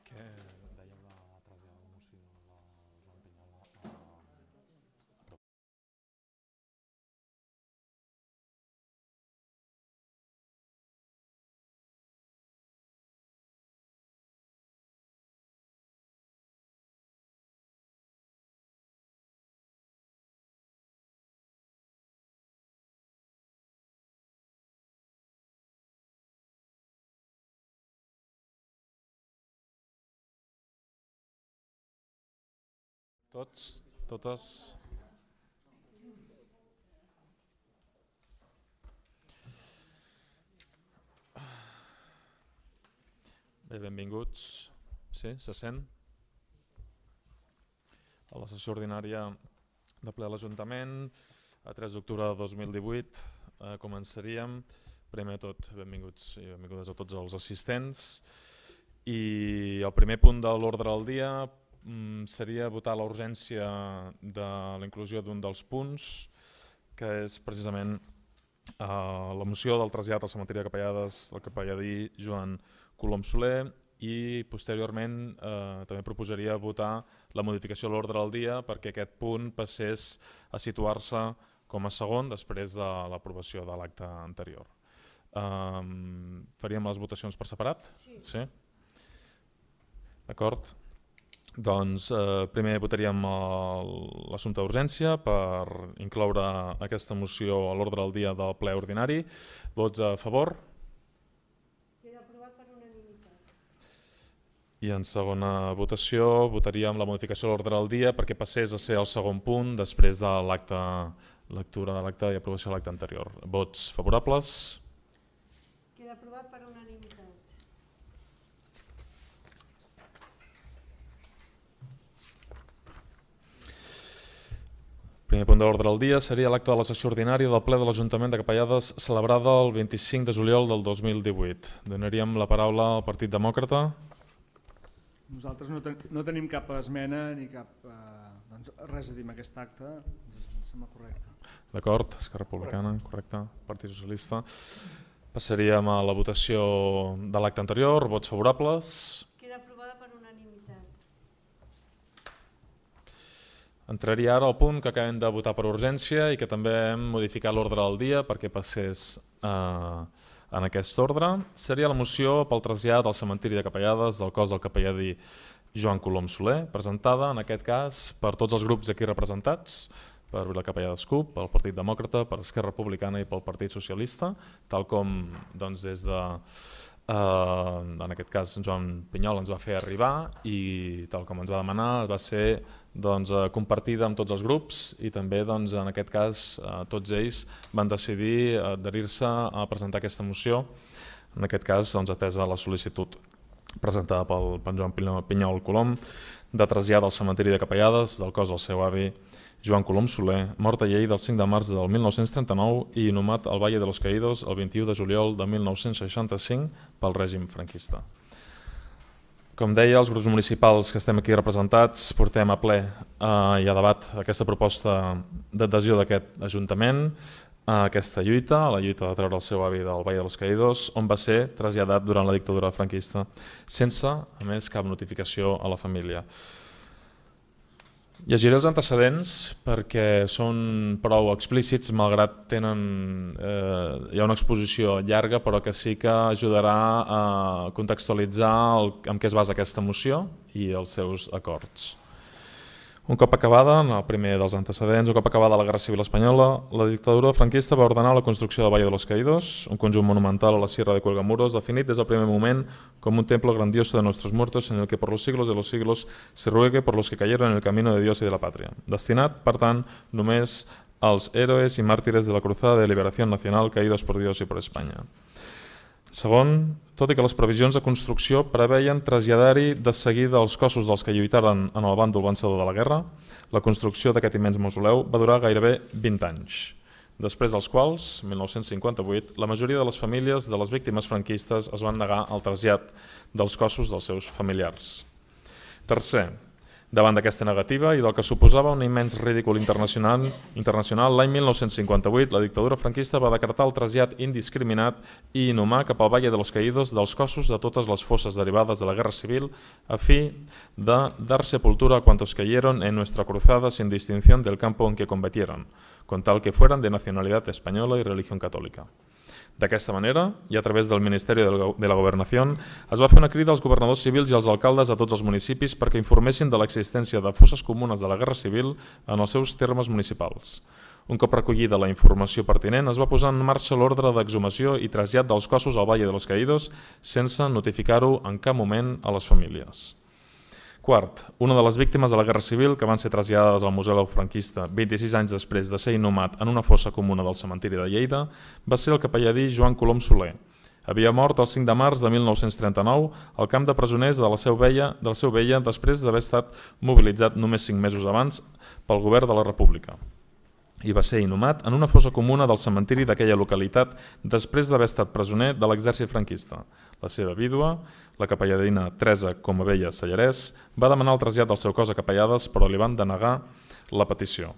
Què dèieu de traslladar la moció de Joan Pinyol a... Tots, totes... Bé, benvinguts. Sí, se sent? A la sessió ordinària de ple de l'Ajuntament, a 3 d'octubre de 2018, començaríem. Primer de tot, benvinguts i benvingudes a tots els assistents. I el primer punt de l'ordre del dia seria votar la urgència de la inclusió d'un dels punts, que és precisament la moció del trasllat al cementiri de Capellades del capelladí Joan Colom Soler, i posteriorment també proposaria votar la modificació de l'ordre del dia perquè aquest punt passés a situar-se com a segon després de l'aprovació de l'acte anterior. Faríem les votacions per separat? Sí? D'acord. Doncs primer votaríem l'assumpte d'urgència per incloure aquesta moció a l'ordre del dia del ple ordinari. Vots a favor? Queda aprovat per unanimitat. I en segona votació votaríem la modificació de l'ordre del dia perquè passés a ser el segon punt després de lectura de l'acte i aprovació de l'acte anterior. Vots favorables? Queda aprovat per unanimitat. Primer punt de l'ordre del dia seria l'acte de la sessió ordinària del ple de l'Ajuntament de Capellades celebrada el 25 de juliol del 2018. Donaríem la paraula al Partit Demòcrata. Nosaltres no tenim cap esmena ni cap res a dir en aquest acte, ens sembla correcte. D'acord, Esquerra Republicana, correcte, Partit Socialista. Passaríem a la votació de l'acte anterior, vots favorables. Queda aprovada per unanimitat. Entraria ara al punt que acabem de votar per urgència i que també hem modificat l'ordre del dia perquè passés en aquest ordre. Seria la moció pel trasllat al cementiri de Capellades del cos del capelladí Joan Colom Soler, presentada en aquest cas per tots els grups aquí representats, per Vila Capellades CUP, pel Partit Demòcrata, per Esquerra Republicana i pel Partit Socialista, tal com doncs, des de, en aquest cas, Joan Pinyol ens va fer arribar i tal com ens va demanar va ser doncs, compartida amb tots els grups i també doncs, en aquest cas tots ells van decidir adherir-se a presentar aquesta moció, en aquest cas doncs, atesa la sol·licitud presentada pel Joan Pinyol Colom de trasllat al cementiri de Capellades del cos del seu avi Joan Colom Soler, mort a Lleida el 5 de març del 1939 i inhumat al Valle de los Caídos el 21 de juliol de 1965 pel règim franquista. Com deia, els grups municipals que estem aquí representats portem a ple i a debat aquesta proposta d'adhesió d'aquest Ajuntament a aquesta lluita, a la lluita de treure el seu avi del Valle de los Caídos, on va ser traslladat durant la dictadura franquista, sense, a més, cap notificació a la família. Llegiré els antecedents perquè són prou explícits, malgrat hi ha una exposició llarga, però que sí que ajudarà a contextualitzar en què es basa aquesta moció i els seus acords. Un cop acabada, el primer dels antecedents, un cop acabada la Guerra Civil Espanyola, la dictadura franquista va ordenar la construcció del Valle de los Caídos, un conjunt monumental a la Sierra de Cuelgamuros, definit des del primer moment com un templo grandioso de nuestros muertos en el que por los siglos de los siglos se ruegue por los que cayeron en el camino de Dios y de la patria. Destinat, per tant, només als héroes i màrtires de la Cruzada de Liberación Nacional caídos por Dios y por España. Segon, tot i que les previsions de construcció preveien traslladar-hi de seguida els cossos dels que lluitaren en el bàndol vencedor de la guerra, la construcció d'aquest immens mausoleu va durar gairebé 20 anys, després dels quals, 1958, la majoria de les famílies de les víctimes franquistes es van negar al trasllat dels cossos dels seus familiars. Tercer, Davant d'aquesta negativa i del que suposava un immens ridícul internacional, l'any 1958 la dictadura franquista va decretar el trasllat indiscriminat i inhumà cap al Valle de los Caídos dels cossos de totes les fosses derivades de la Guerra Civil a fi de dar sepultura a cuantos cayeron en nuestra cruzada sin distinción del campo en que combatieron, con tal que fueran de nacionalidad española y religión católica. D'aquesta manera, i a través del Ministeri de la Governació, es va fer una crida als governadors civils i als alcaldes de tots els municipis perquè informessin de l'existència de fosses comunes de la Guerra Civil en els seus termes municipals. Un cop recollida la informació pertinent, es va posar en marxa l'ordre d'exhumació i trasllat dels cossos al Valle de los Caídos sense notificar-ho en cap moment a les famílies. Quart, una de les víctimes de la Guerra Civil que van ser traslladades al Museu franquista 26 anys després de ser inhumat en una fossa comuna del cementiri de Lleida va ser el capelladí Joan Colom Soler. Havia mort el 5 de març de 1939 al camp de presoners de la Seu Vella després d'haver estat mobilitzat només 5 mesos abans pel govern de la República. I va ser inhumat en una fossa comuna del cementiri d'aquella localitat després d'haver estat presoner de l'exèrcit franquista. La seva vídua, la capelladina Teresa Comabella Sallarès, va demanar el trasllat del seu cos a Capellades, però li van denegar la petició.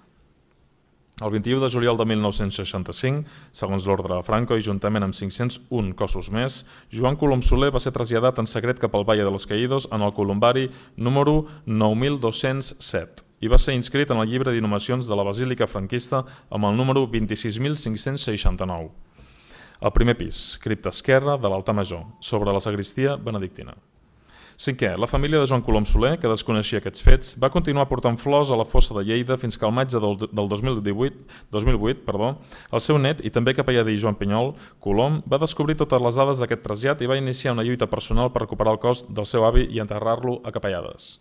El 21 de juliol de 1965, segons l'ordre de Franco i juntament amb 501 cossos més, Joan Colom Soler va ser traslladat en secret cap al Valle de los Caídos en el columbari número 9207 i va ser inscrit en el llibre d'inhumacions de la Basílica franquista amb el número 26.569. Al primer pis, cripta esquerra de l'altar major, sobre la sagristia benedictina. Cinquè, la família de Joan Colom Soler, que desconeixia aquests fets, va continuar portant flors a la fossa de Lleida fins que al maig del 2008, el seu net i també capelladí Joan Pinyol Colom va descobrir totes les dades d'aquest trasllat i va iniciar una lluita personal per recuperar el cos del seu avi i enterrar-lo a Capellades.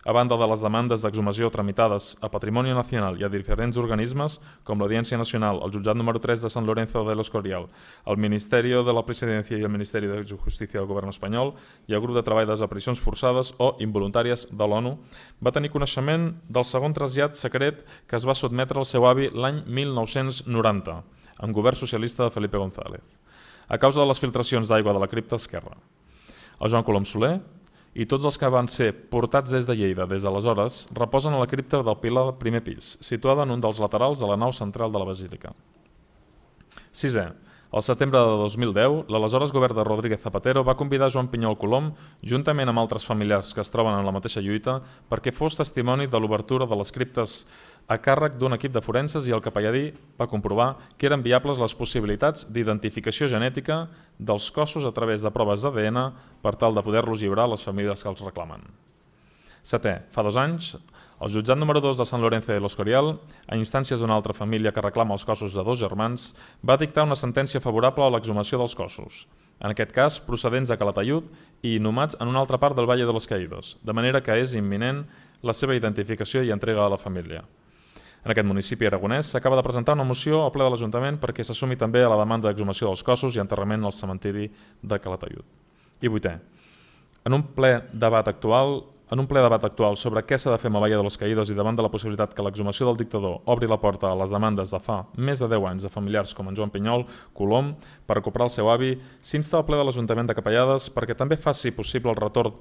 A banda de les demandes d'exhumació tramitades a Patrimoni Nacional i a diferents organismes, com l'Audiència Nacional, el Jutjat número 3 de Sant Lorenzo de l'Escorial, el Ministeri de la Presidència i el Ministeri de Justícia del Govern espanyol i el Grup de Treball de Desaparicions Forçades o Involuntàries de l'ONU, va tenir coneixement del segon trasllat secret que es va sotmetre al seu avi l'any 1990, amb govern socialista de Felipe González, a causa de les filtracions d'aigua de la cripta esquerra. El Joan Colom Soler i tots els que van ser portats des de Lleida des d'aleshores reposen a la cripta del pilar del primer pis, situada en un dels laterals de la nau central de la Basílica. Sisè, al setembre de 2010, l'aleshores govern de Rodríguez Zapatero va convidar Joan Pinyol Colom, juntament amb altres familiars que es troben en la mateixa lluita, perquè fos testimoni de l'obertura de les criptes a càrrec d'un equip de forenses i el capelladí va comprovar que eren viables les possibilitats d'identificació genètica dels cossos a través de proves d'ADN per tal de poder-los lliurar a les famílies que els reclamen. Setè, fa 2 anys, el jutjat número 2 de Sant Lorenzo de l'Escorial, a instàncies d'una altra família que reclama els cossos de 2 germans, va dictar una sentència favorable a l'exhumació dels cossos, en aquest cas procedents de Calatayud i inhumats en una altra part del Valle de los Caídos, de manera que és imminent la seva identificació i entrega a la família. En aquest municipi aragonès s'acaba de presentar una moció al ple de l'Ajuntament perquè s'assumi també a la demanda d'exhumació dels cossos i enterrament al cementiri de Calatayud. I 8è, en un ple debat actual sobre què s'ha de fer amb el Valle de los Caídos i davant de la possibilitat que l'exhumació del dictador obri la porta a les demandes de fa més de 10 anys de familiars com en Joan Pinyol Colom per recuperar el seu avi, s'insta al ple de l'Ajuntament de Capellades perquè també faci possible el retorn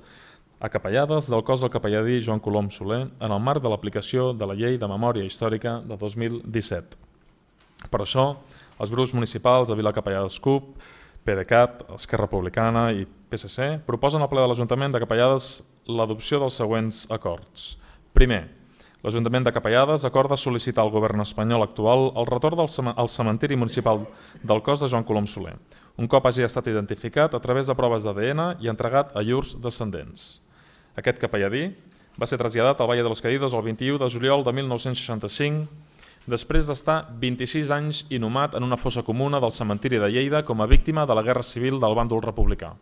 a Capellades del cos del capelladí Joan Colom Soler en el marc de l'aplicació de la Llei de Memòria Històrica de 2017. Per això, els grups municipals de Vila Capellades CUP, PDeCAT, Esquerra Republicana i PSC proposen al ple de l'Ajuntament de Capellades l'adopció dels següents acords. Primer, l'Ajuntament de Capellades acorda sol·licitar al govern espanyol actual el retorn al cementiri municipal del cos de Joan Colom Soler, un cop hagi estat identificat a través de proves d'ADN i entregat a llurs descendents. Aquest capelladí va ser traslladat al Valle de los Caídos el 21 de juliol de 1965 després d'estar 26 anys inhumat en una fossa comuna del cementiri de Lleida com a víctima de la Guerra Civil del bàndol republicà.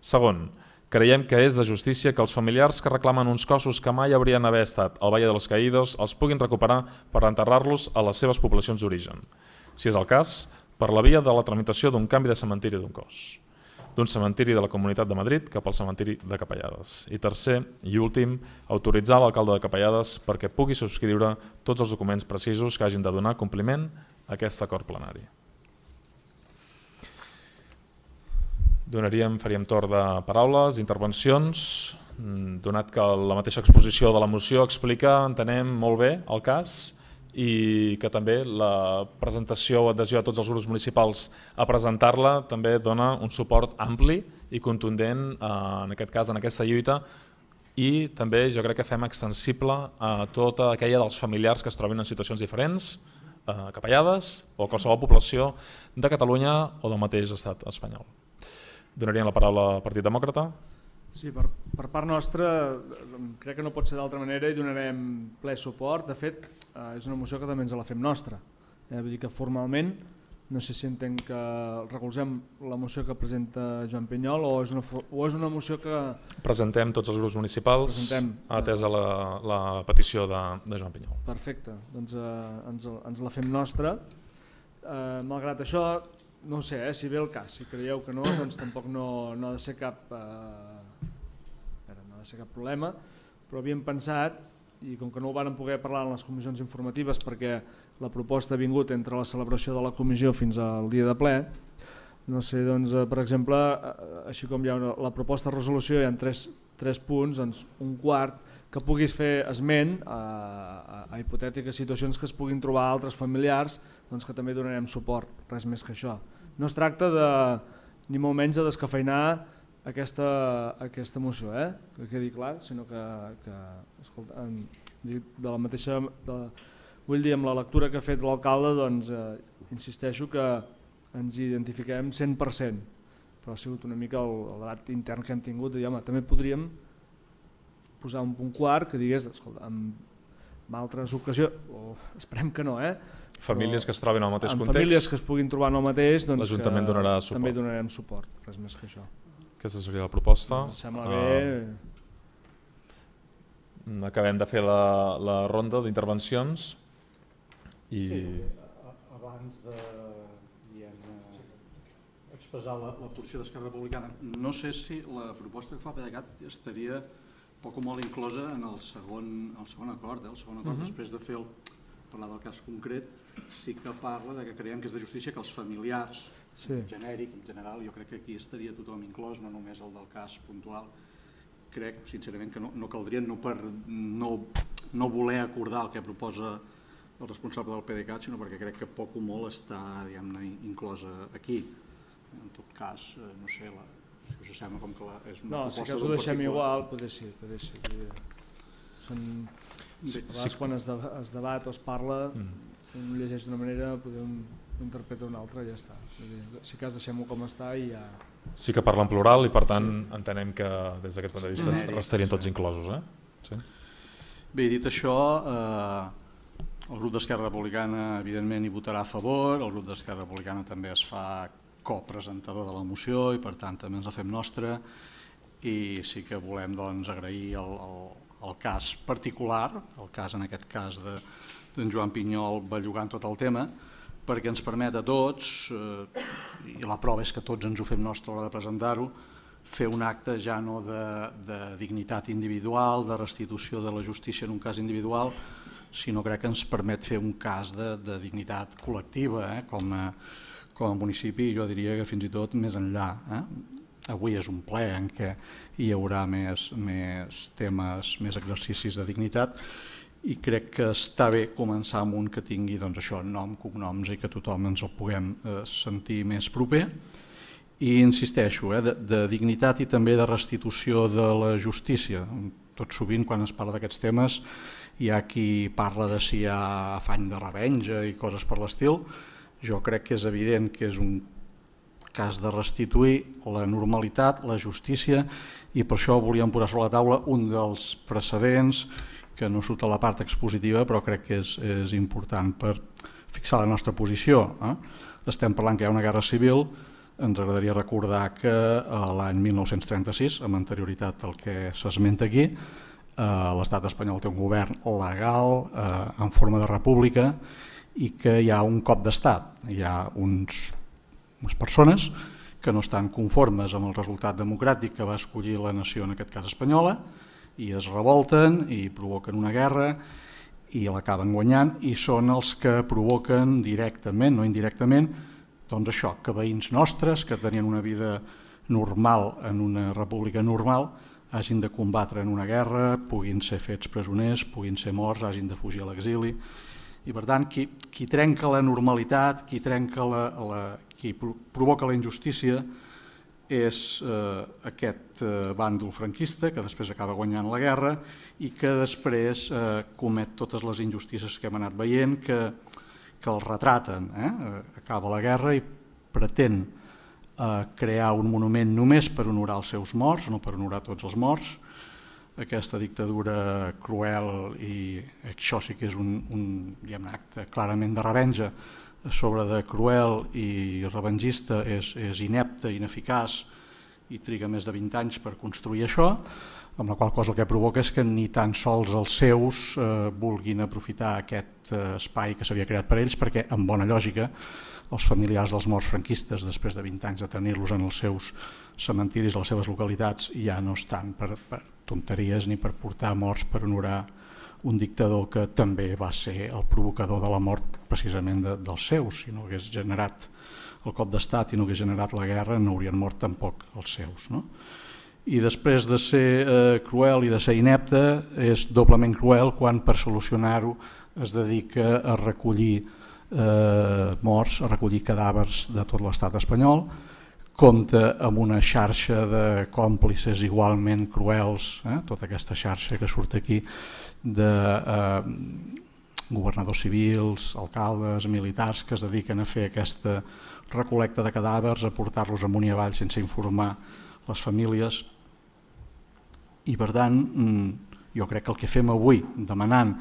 Segon, creiem que és de justícia que els familiars que reclamen uns cossos que mai haurien d'haver estat al Valle de los Caídos els puguin recuperar per enterrar-los a les seves poblacions d'origen, si és el cas, per la via de la tramitació d'un canvi de cementiri d'un cos, d'un cementiri de la Comunitat de Madrid cap al cementiri de Capellades. I tercer i últim, autoritzar l'alcalde de Capellades perquè pugui subscriure tots els documents precisos que hagin de donar compliment a aquest acord plenari. Faríem torn de paraules, intervencions, donat que la mateixa exposició de la moció explica, entenem molt bé el cas, i que també la presentació o adhesió a tots els grups municipals a presentar-la també dona un suport ampli i contundent en aquest cas, en aquesta lluita, i també jo crec que fem extensible a tota aquella dels familiars que es trobin en situacions diferents, capellades o qualsevol població de Catalunya o del mateix estat espanyol. Donaríem la paraula al Partit Demòcrata. Sí, per part nostra crec que no pot ser d'altra manera i donarem ple suport. De fet, és una moció que també ens la fem nostra. Vull dir que formalment, no sé si entenc que recolzem la moció que presenta Joan Pinyol o és una moció que... Presentem tots els grups municipals, atesa la petició de Joan Pinyol. Perfecte, doncs ens la fem nostra. Malgrat això, no ho sé, si ve el cas, si creieu que no, doncs tampoc no ha de ser cap problema, però havíem pensat, i com que no ho vàrem poder parlar en les comissions informatives perquè la proposta ha vingut entre la celebració de la comissió fins al dia de ple, no sé, doncs, per exemple, així com hi ha la proposta de resolució, hi ha tres punts, doncs un quart que puguis fer esment a hipotètiques situacions que es puguin trobar altres familiars, doncs que també donarem suport, res més que això. No es tracta ni molt menys de descafeinar aquesta moció, que quedi clar, sinó que escolta, de la mateixa, vull dir, amb la lectura que ha fet l'alcalde, doncs insisteixo que ens identifiquem 100%, però ha sigut una mica el debat intern que hem tingut, i home, també podríem posar un punt quart que digués, escolta, en altres ocasions, o esperem que no, famílies que es trobin al mateix context, famílies que es puguin trobar en el mateix, doncs l'Ajuntament donarà suport. També donarem suport, res més que això. Aquesta seria la proposta. Ens sembla bé. Acabem de fer la ronda d'intervencions. Sí, abans de expressar la posició d'Esquerra Republicana, no sé si la proposta que fa PDeCAT estaria poc o molt inclosa en el segon acord. El segon acord, després de parlar del cas concret, sí que parla que creiem que és de justícia que els familiars, genèric, en general, jo crec que aquí estaria tothom inclòs, no només el del cas puntual. Crec, sincerament, que no caldria, no per no voler acordar el que proposa el responsable del PDeCAT, sinó perquè crec que poc o molt està, diguem-ne, inclosa aquí. En tot cas, no sé, si us sembla com que és una proposta d'un particular. No, si cas ho deixem igual, poder sí. A vegades quan es debat o es parla, un llegeix d'una manera, un interpreta d'una altra i ja està. Si cas deixem-ho com està i ja... Sí que parla en plural i per tant entenem que des d'aquest punt de vista restarien tots inclosos. Bé, dit això, el grup d'Esquerra Republicana evidentment hi votarà a favor, el grup d'Esquerra Republicana també es fa copresentador de la moció i per tant també ens la fem nostra i sí que volem agrair el cas particular, el cas en aquest cas d'en Joan Pinyol bellugant tot el tema, perquè ens permet a tots, i la prova és que tots ens ho fem nostre a l'hora de presentar-ho, fer un acte ja no de dignitat individual, de restitució de la justícia en un cas individual, sinó crec que ens permet fer un cas de dignitat col·lectiva com a municipi, jo diria que fins i tot més enllà. Avui és un ple en què hi haurà més temes, més exercicis de dignitat i crec que està bé començar amb un que tingui nom, cognoms i que tothom ens el puguem sentir més proper. I insisteixo, de dignitat i també de restitució de la justícia. Tot sovint quan es parla d'aquests temes hi ha qui parla de si hi ha afany de revenja i coses per l'estil. Jo crec que és evident que és un cas de restituir la normalitat, la justícia, i per això volíem posar sobre la taula un dels precedents que no surt a la part expositiva però crec que és important per fixar la nostra posició. Estem parlant que hi ha una guerra civil, ens agradaria recordar que l'any 1936, amb anterioritat al que s'esmenta aquí, l'estat espanyol té un govern legal en forma de república i que hi ha un cop d'estat, hi ha unes persones que no estan conformes amb el resultat democràtic que va escollir la nació, en aquest cas espanyola, i es revolten i provoquen una guerra i l'acaben guanyant i són els que provoquen directament, no indirectament, doncs això, que veïns nostres que tenien una vida normal, en una república normal, hagin de combatre en una guerra, puguin ser fets presoners, puguin ser morts, hagin de fugir a l'exili. I per tant, qui trenca la normalitat, qui provoca la injustícia és aquest bàndol franquista que després acaba guanyant la guerra i que després comet totes les injustícies que hem anat veient, que el retraten. Acaba la guerra i pretén crear un monument només per honorar els seus morts, no per honorar tots els morts. Aquesta dictadura cruel, i això sí que és un acte clarament de revenja, sobre de cruel i revengista, és inepte, ineficaç i triga més de 20 anys per construir això, amb la qual cosa el que provoca és que ni tan sols els seus vulguin aprofitar aquest espai que s'havia creat per ells, perquè en bona lògica els familiars dels morts franquistes, després de 20 anys de tenir-los en els seus cementiris, a les seves localitats, ja no estan per tonteries ni per portar morts per honorar un dictador que també va ser el provocador de la mort precisament dels seus. Si no hagués generat el cop d'estat i no hagués generat la guerra, no haurien mort tampoc els seus. I després de ser cruel i de ser inepte, és doblement cruel quan per solucionar-ho es dedica a recollir morts, a recollir cadàvers de tot l'estat espanyol, compta amb una xarxa de còmplices igualment cruels, tota aquesta xarxa que surt aquí de governadors civils, alcaldes, militars que es dediquen a fer aquesta recol·lecta de cadàvers, a portar-los amunt i avall sense informar les famílies. I per tant, jo crec que el que fem avui, demanant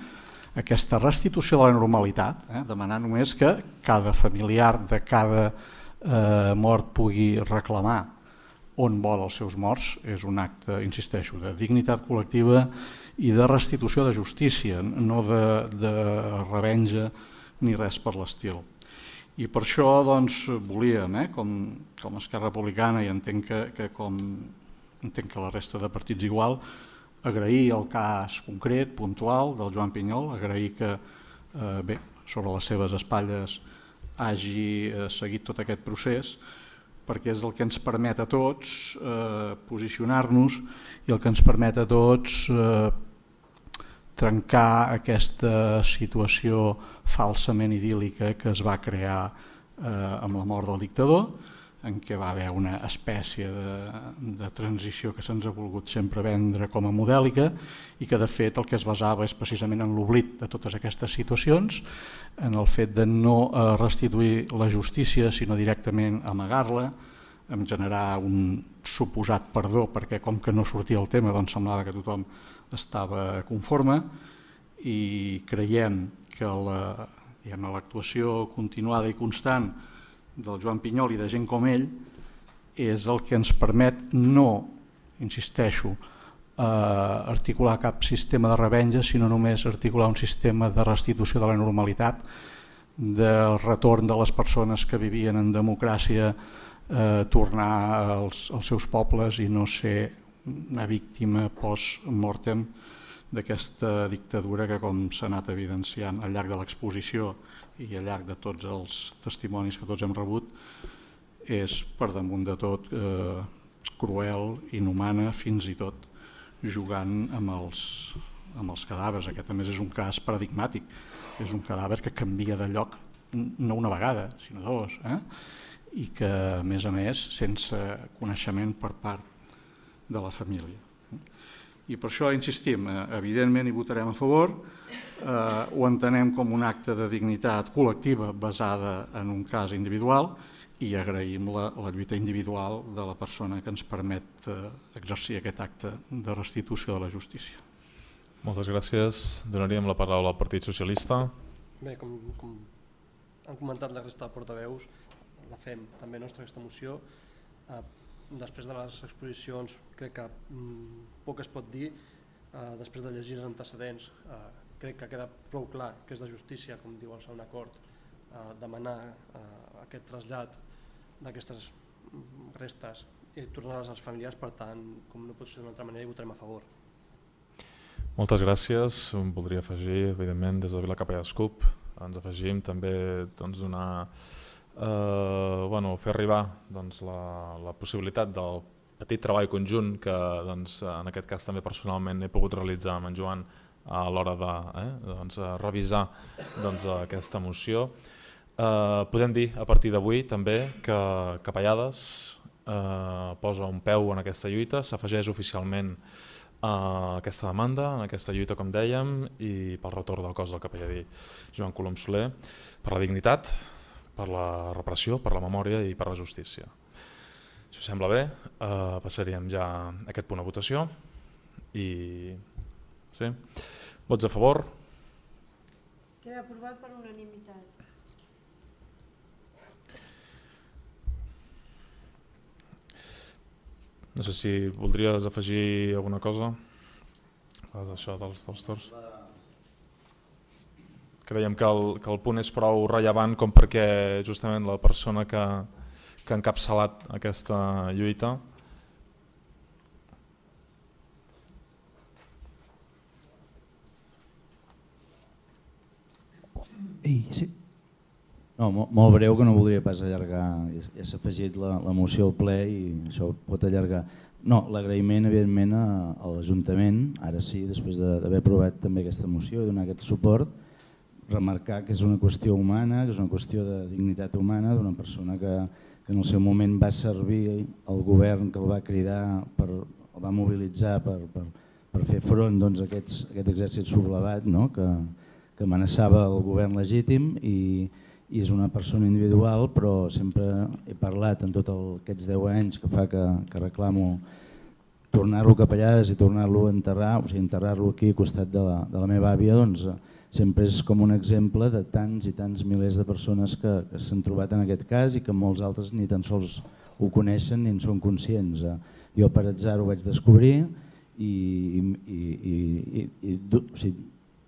aquesta restitució de la normalitat, demanant només que cada familiar de cada mort pugui reclamar on vol els seus morts, és un acte, insisteixo, de dignitat col·lectiva i de restitució de justícia, no de revenja ni res per l'estil. I per això volíem, com a Esquerra Republicana, i entenc que la resta de partits igual, agrair el cas concret, puntual, del Joan Pinyol, agrair que sobre les seves espatlles hagi seguit tot aquest procés, perquè és el que ens permet a tots posicionar-nos i el que ens permet a tots trencar aquesta situació falsament idíl·lica que es va crear amb la mort del dictador, en què va haver una espècie de transició que se'ns ha volgut sempre vendre com a modèlica i que de fet el que es basava és precisament en l'oblit de totes aquestes situacions, en el fet de no restituir la justícia sinó directament amagar-la, en generar un suposat perdó perquè com que no sortia el tema doncs semblava que tothom estava conforme i creiem que l'actuació continuada i constant del Joan Pinyol i de gent com ell és el que ens permet no, insisteixo, articular cap sistema de revenja, sinó només articular un sistema de restitució de la normalitat, del retorn de les persones que vivien en democràcia, tornar als seus pobles i no ser una víctima post-mortem d'aquesta dictadura que, com s'ha anat evidenciant al llarg de l'exposició i al llarg de tots els testimonis que tots hem rebut, és per damunt de tot cruel, inhumana, fins i tot jugant amb els cadàvers. Aquest a més és un cas paradigmàtic, és un cadàver que canvia de lloc no una vegada, sinó dos, i que a més sense coneixement per part de la família. I per això insistim, evidentment hi votarem a favor, ho entenem com un acte de dignitat col·lectiva basada en un cas individual i agraïm la lluita individual de la persona que ens permet exercir aquest acte de restitució de la justícia. Moltes gràcies. Donaríem la paraula al Partit Socialista. Bé, com han comentat la resta de portaveus, la fem també nostra aquesta moció. Després de les exposicions crec que poc es pot dir, després de llegir els antecedents crec que queda prou clar que és de justícia, com diu el segon acord, demanar aquest trasllat d'aquestes restes i tornar-les als familiars, per tant, com no pot ser d'una altra manera, hi votarem a favor. Moltes gràcies. Voldria afegir, evidentment, des de Vila Capellà d'Escup, ens afegim també donar fer arribar la possibilitat del petit treball conjunt que en aquest cas també personalment he pogut realitzar amb en Joan a l'hora de revisar aquesta moció. Podem dir a partir d'avui també que Capellades posa un peu en aquesta lluita, s'afegeix oficialment a aquesta demanda, en aquesta lluita, com dèiem, i pel retorn del cos del capelladí Joan Colom Soler, per la dignitat, per la reparació, per la memòria i per la justícia. Si us sembla bé, passaríem ja a aquest punt a votació. Sí. Vots a favor? Queda aprovat per unanimitat. No sé si voldries afegir alguna cosa a això dels torns. Creiem que el punt és prou rellevant com perquè justament la persona que ha encapçalat aquesta lluita sí. No, molt breu, que no voldria pas allargar, ja s'ha afegit la moció al ple i això pot allargar. No, l'agraïment evidentment a l'Ajuntament, ara sí, després d'haver aprovat també aquesta moció i donar aquest suport, remarcar que és una qüestió humana, que és una qüestió de dignitat humana d'una persona que en el seu moment va servir al govern, que el va cridar, el va mobilitzar per fer front a aquest exèrcit sublevat que amenaçava el govern legítim i és una persona individual, però sempre he parlat en tots aquests 10 anys que fa que reclamo tornar-lo a Capellades i tornar-lo a enterrar, o sigui, enterrar-lo aquí al costat de la meva àvia, doncs sempre és com un exemple de tants i tants milers de persones que s'han trobat en aquest cas i que molts altres ni tan sols ho coneixen ni en són conscients. Jo per atzar ho vaig descobrir i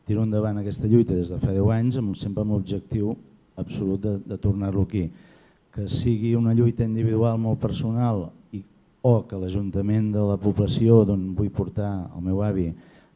tiro endavant aquesta lluita des de fa 10 anys sempre amb l'objectiu absolut de tornar-lo aquí. Que sigui una lluita individual molt personal o que l'Ajuntament de la població d'on vull portar el meu avi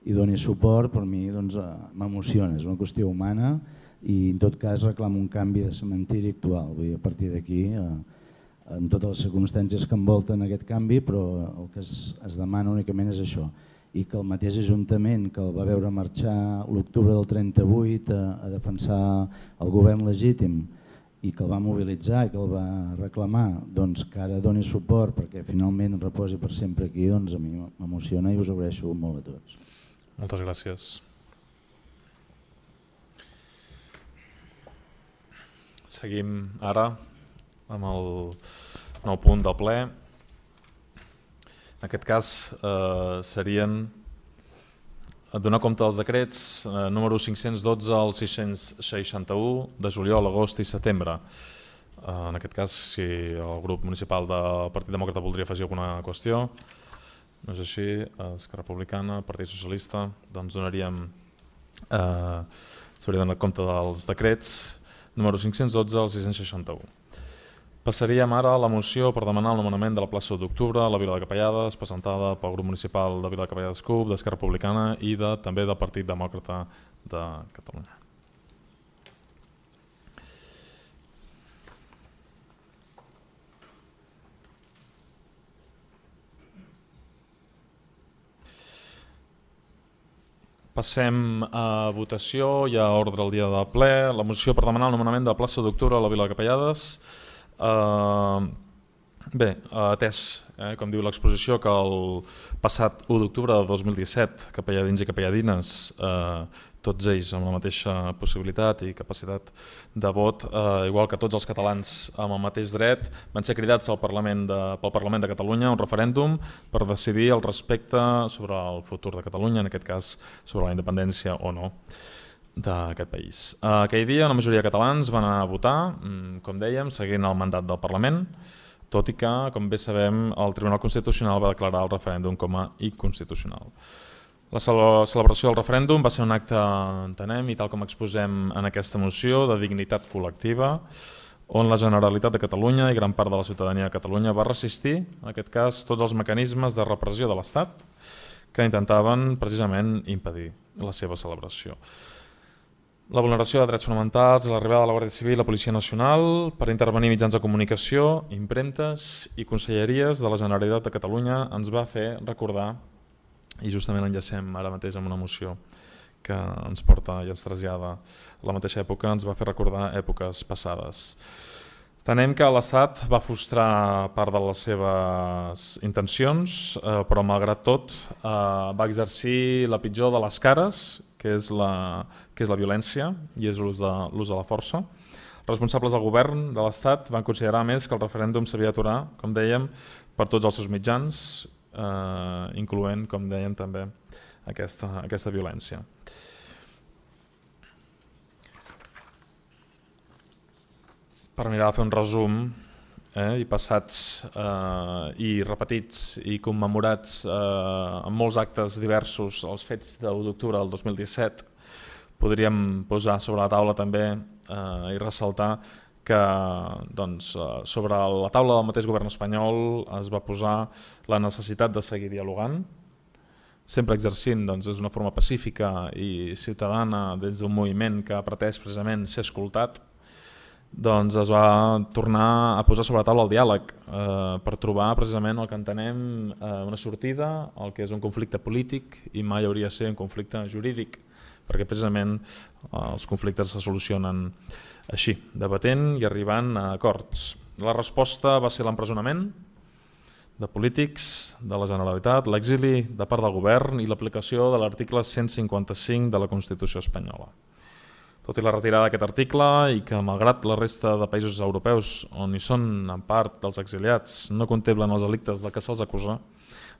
i doni suport, per mi m'emociona, és una qüestió humana i en tot cas reclamo un canvi de cementiri actual. Vull dir, a partir d'aquí, amb totes les circumstàncies que envolten aquest canvi, però el que es demana únicament és això. I que el mateix Ajuntament que el va veure marxar l'octubre del 38 a defensar el govern legítim i que el va mobilitzar i que el va reclamar, doncs que ara doni suport perquè finalment reposi per sempre aquí, doncs a mi m'emociona i us agraeixo molt a tots. Moltes gràcies. Seguim ara amb el nou punt del ple. En aquest cas serien donar compte dels decrets número 512 al 661 de juliol, agost i setembre. En aquest cas, si el grup municipal del Partit Demòcrata voldria afegir alguna qüestió, no és així, Esquerra Republicana, Partit Socialista, doncs s'hauria donat compte dels decrets número 512 al 661. Passaríem ara a la moció per demanar el nomenament de la plaça d'octubre a la Vila de Capellades, presentada pel grup municipal de Vila de Capellades CUP, d'Esquerra Republicana i també del Partit Demòcrata de Catalunya. Passem a votació i a ordre del dia del ple. La moció per demanar el nomenament de la plaça d'octubre a la Vila de Capellades. Bé, atès, com diu l'exposició, que el passat 1 d'octubre de 2017 capelladins i capelladines, tots ells amb la mateixa possibilitat i capacitat de vot, igual que tots els catalans amb el mateix dret, van ser cridats pel Parlament de Catalunya a un referèndum per decidir el respecte sobre el futur de Catalunya, en aquest cas sobre la independència o no d'aquest país. Aquell dia una majoria de catalans van anar a votar, com dèiem, seguint el mandat del Parlament, tot i que, com bé sabem, el Tribunal Constitucional va declarar el referèndum com a inconstitucional. La celebració del referèndum va ser un acte, entenem, i tal com exposem en aquesta moció, de dignitat col·lectiva, on la Generalitat de Catalunya i gran part de la ciutadania de Catalunya va resistir, en aquest cas, tots els mecanismes de repressió de l'Estat que intentaven precisament impedir la seva celebració. la vulneració de drets fonamentals, l'arribada de la Guàrdia Civil i la Policia Nacional per intervenir mitjans de comunicació, impremtes i conselleries de la Generalitat de Catalunya ens va fer recordar, i justament enllacem ara mateix amb una moció que ens porta i ens trasllada a la mateixa època, ens va fer recordar èpoques passades. Tenem que l'Estat va frustrar part de les seves intencions, però malgrat tot va exercir la pitjor de les cares, que és la violència i és l'ús de la força. Responsables del govern de l'Estat van considerar més que el referèndum s'havia d'aturar, com dèiem, per tots els seus mitjans, incloent, com dèiem, també aquesta violència. Per mirar de fer un resum, i passats i repetits i commemorats en molts actes diversos els fets de l'1 d'octubre del 2017, podríem posar sobre la taula també i ressaltar que sobre la taula del mateix govern espanyol es va posar la necessitat de seguir dialogant, sempre exercint d'una forma pacífica i ciutadana des d'un moviment que ha pretès precisament ser escoltat. Es va tornar a posar sobre la taula el diàleg per trobar precisament el que entenem una sortida al que és un conflicte polític i mai hauria de ser un conflicte jurídic, perquè precisament els conflictes se solucionen així, debatent i arribant a acords. La resposta va ser l'empresonament de polítics de la Generalitat, l'exili de part del govern i l'aplicació de l'article 155 de la Constitució espanyola. Tot i la retirada d'aquest article i que, malgrat la resta de països europeus on hi són en part dels exiliats no contemplen els delictes de què se'ls acusa,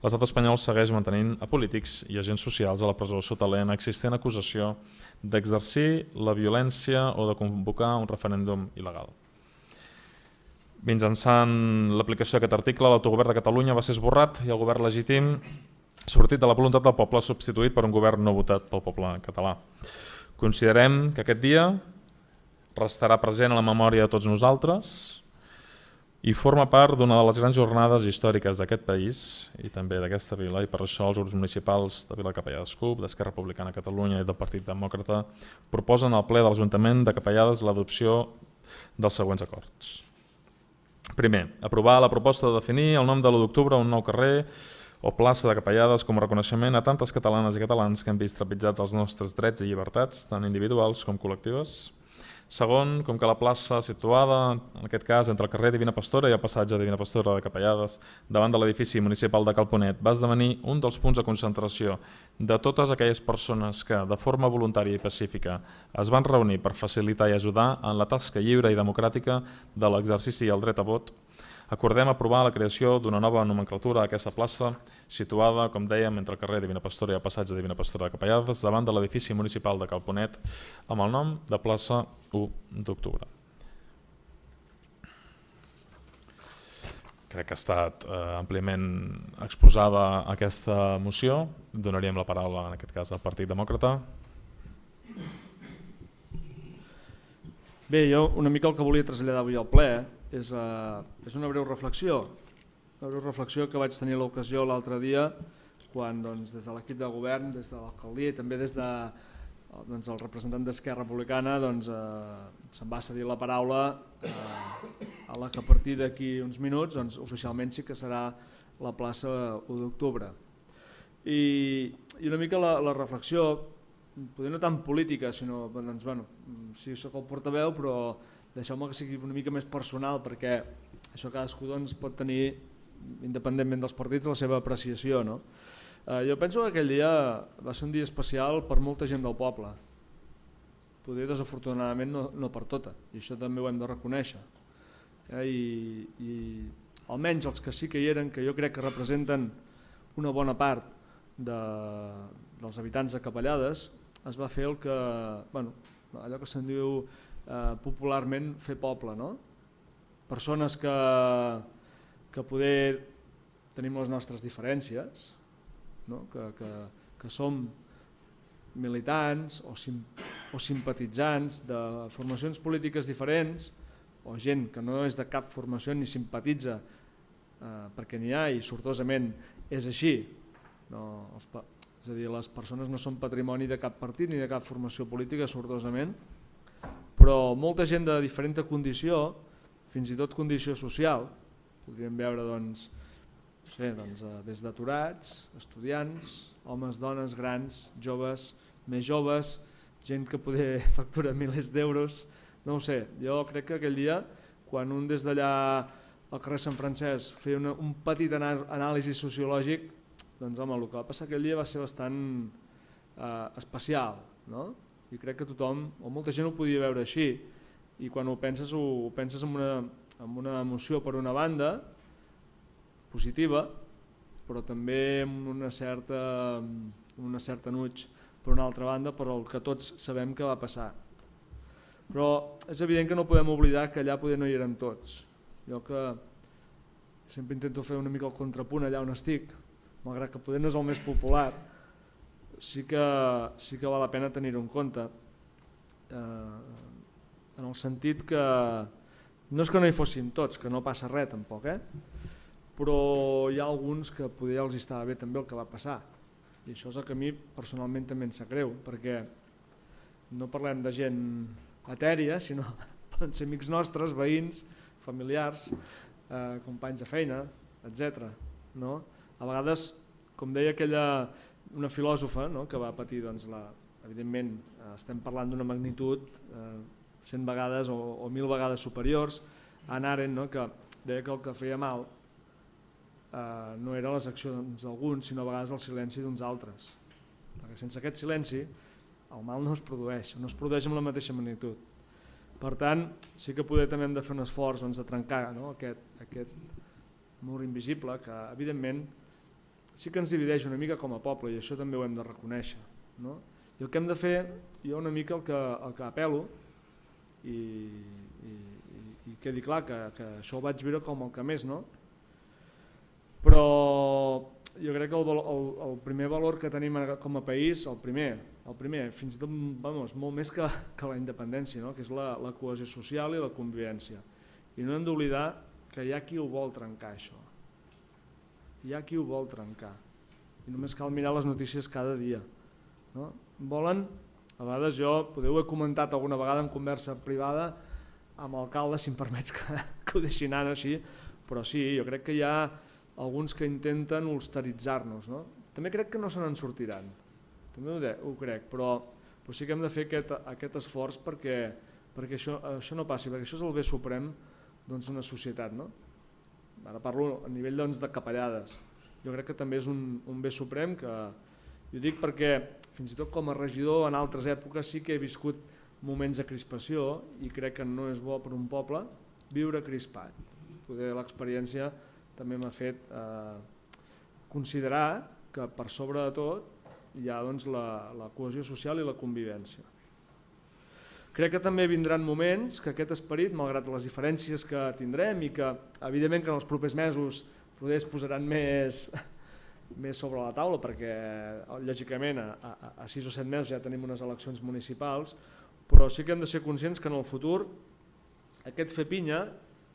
l'estat espanyol segueix mantenint a polítics i agents socials a la presó sota l'existent acusació d'exercir la violència o de convocar un referèndum il·legal. Mitjançant l'aplicació d'aquest article, l'autogovern de Catalunya va ser esborrat i el govern legítim sortit de la voluntat del poble substituït per un govern no votat pel poble català. Considerem que aquest dia restarà present a la memòria de tots nosaltres i forma part d'una de les grans jornades històriques d'aquest país i també d'aquesta vila, i per això els grups municipals de Vila Capellades CUP, d'Esquerra Republicana de Catalunya i del Partit Demòcrata proposen al ple de l'Ajuntament de Capellades l'adopció dels següents acords. Primer, aprovar la proposta de definir el nom de l'1 d'octubre un nou carrer o plaça de Capellades com a reconeixement a tantes catalanes i catalans que han vist trepitjats els nostres drets i llibertats, tant individuals com col·lectives. Segon, com que la plaça situada, en aquest cas, entre el carrer Divina Pastora i el passatge Divina Pastora de Capellades, davant de l'edifici municipal de Cal Ponet, va esdevenir un dels punts de concentració de totes aquelles persones que, de forma voluntària i pacífica, es van reunir per facilitar i ajudar en la tasca lliure i democràtica de l'exercici i el dret a vot, acordem aprovar la creació d'una nova nomenclatura a aquesta plaça, situada, com dèiem, entre el carrer Divina Pastora i el passatge Divina Pastora de Capellades, davant de l'edifici municipal de Cal Ponet, amb el nom de plaça 1 d'octubre. Crec que ha estat àmpliament exposada aquesta moció. Donaríem la paraula, en aquest cas, al Partit Demòcrata. Bé, jo una mica el que volia traslladar avui al ple és una breu reflexió. Una breu reflexió que vaig tenir l'ocasió l'altre dia quan des de l'equip de govern, des de l'alcaldia i també des del representant d'Esquerra Republicana se'm va cedir la paraula a la que a partir d'aquí uns minuts oficialment sí que serà la plaça 1 d'octubre. I una mica la reflexió, potser no tan política, sinó, sí, soc el portaveu, però deixeu-me que sigui una mica més personal, perquè això cadascú pot tenir, independentment dels partits, la seva apreciació. Jo penso que aquell dia va ser un dia especial per molta gent del poble. Potser desafortunadament no per tota, i això també ho hem de reconèixer. I almenys els que sí que hi eren, que jo crec que representen una bona part dels habitants de Capellades, es va fer allò que se'n diu popularment fer poble. Persones que poder tenim les nostres diferències, que som militants o simpatitzants de formacions polítiques diferents, o gent que no és de cap formació ni simpatitza, perquè n'hi ha i sortosament és així. És a dir, les persones no són patrimoni de cap partit ni de cap formació política, sortosament, però molta gent de diferent condició, fins i tot condició social, podríem veure doncs, no sé, doncs, des d'aturats, estudiants, homes, dones, grans, joves, més joves, gent que poder factura milers d'euros, no ho sé. Jo crec que aquell dia, quan un des d'allà al carrer Sant Francesc feia un petit anàlisi sociològic, doncs home, el que va passar aquell dia va ser bastant especial, no? I crec que tothom, o molta gent ho podia veure així, i quan ho penses amb una emoció per una banda, positiva, però també amb una certa nuig per una altra banda, per el que tots sabem que va passar. Però és evident que no podem oblidar que allà poder no hi érem tots. Jo que sempre intento fer una mica el contrapunt allà on estic, malgrat que poder no és el més popular, sí que val la pena tenir-ho en compte, en el sentit que no és que no hi fossin tots, que no passa res tampoc, però hi ha alguns que poder els estava bé també el que va passar, i això és el que a mi personalment també em sap greu, perquè no parlem de gent etèria, sinó poden ser amics nostres, veïns, familiars, companys de feina, etc. A vegades, com deia una filòsofa que va patir, evidentment estem parlant d'una magnitud 100 vegades o 1000 vegades superiors, Hannah Arendt, que deia que el que feia mal no eren les accions d'alguns, sinó a vegades el silenci d'uns altres, perquè sense aquest silenci el mal no es produeix amb la mateixa magnitud. Per tant, sí que poder també hem de fer un esforç de trencar aquest mur invisible que evidentment sí que ens divideix una mica com a poble, i això també ho hem de reconèixer. I el que hem de fer, jo una mica el que apel·lo, i quedi clar que això ho vaig veure com el que més, però jo crec que el primer valor que tenim com a país, el primer, fins i tot molt més que la independència, que és la cohesió social i la convivència. I no hem d'oblidar que hi ha qui ho vol trencar, això. Hi ha qui ho vol trencar. I només cal mirar les notícies cada dia. Volen, a vegades ho he comentat alguna vegada en conversa privada amb l'alcalde, si em permets que ho deixi anar així, però sí, jo crec que hi ha alguns que intenten ulsteritzar-nos. També crec que no se n'en sortiran, també ho crec, però sí que hem de fer aquest esforç perquè això no passi, perquè això és el bé suprem d'una societat. Ara parlo a nivell de capellades. Jo crec que també és un bé suprem, que ho dic perquè fins i tot com a regidor en altres èpoques sí que he viscut moments de crispació i crec que no és bo per un poble viure crispat. Poder l'experiència també m'ha fet considerar que per sobre de tot hi ha la cohesió social i la convivència. Crec que també vindran moments que aquest esperit, malgrat les diferències que tindrem i que evidentment que en els propers mesos poder es posaran més sobre la taula, perquè lògicament a 6 o 7 mesos ja tenim unes eleccions municipals, però sí que hem de ser conscients que en el futur aquest fer pinya,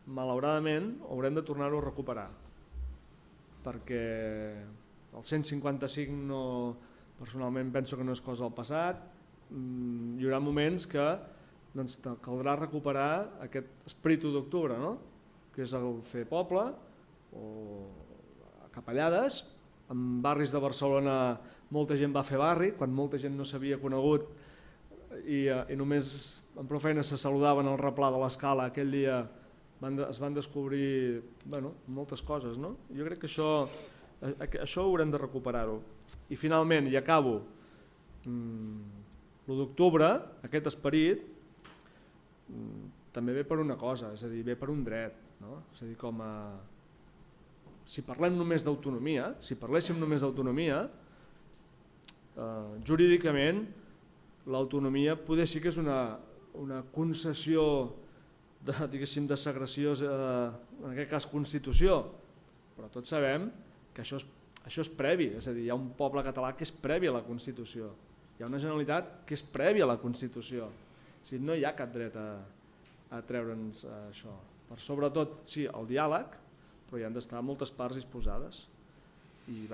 malauradament, haurem de tornar-ho a recuperar, perquè el 155 personalment penso que no és cosa del passat. Hi haurà moments que caldrà recuperar aquest esperit d'octubre, que és el fer poble o capellades. En barris de Barcelona molta gent va fer barri, quan molta gent no s'havia conegut i només amb prou feina se saludaven al replà de l'Escala. Aquell dia es van descobrir moltes coses. Jo crec que això haurem de recuperar-ho. I finalment, i acabo, l'1 d'octubre, aquest esperit també ve per una cosa, és a dir, ve per un dret. És a dir, si parlem només d'autonomia, si parléssim només d'autonomia, jurídicament l'autonomia poder sí que és una concessió de segressió, en aquest cas Constitució, però tots sabem que això és previ, és a dir, hi ha un poble català que és previ a la Constitució, hi ha una Generalitat que és prèvia a la Constitució, no hi ha cap dret a treure'ns això. Per sobretot, sí, el diàleg, però hi han d'estar moltes parts disposades. I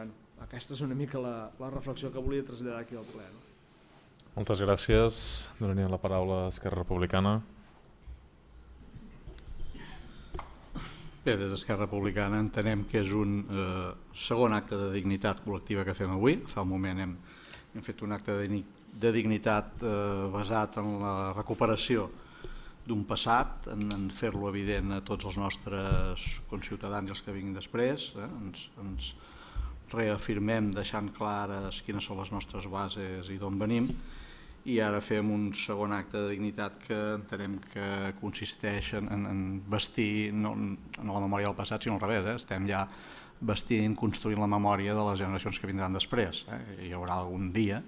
aquesta és una mica la reflexió que volia traslladar aquí al ple. Moltes gràcies. Donaria la paraula a Esquerra Republicana. Bé, des d'Esquerra Republicana entenem que és un segon acte de dignitat col·lectiva que fem avui. Fa un moment hem fet un acte de dignitat basat en la recuperació d'un passat, en fer-lo evident a tots els nostres conciutadans i els que vinguin després. Ens reafirmem deixant clares quines són les nostres bases i d'on venim, i ara fem un segon acte de dignitat que entenem que consisteix en vestir no en la memòria del passat sinó al revés, estem ja vestint, construint la memòria de les generacions que vindran després. Hi haurà algun dia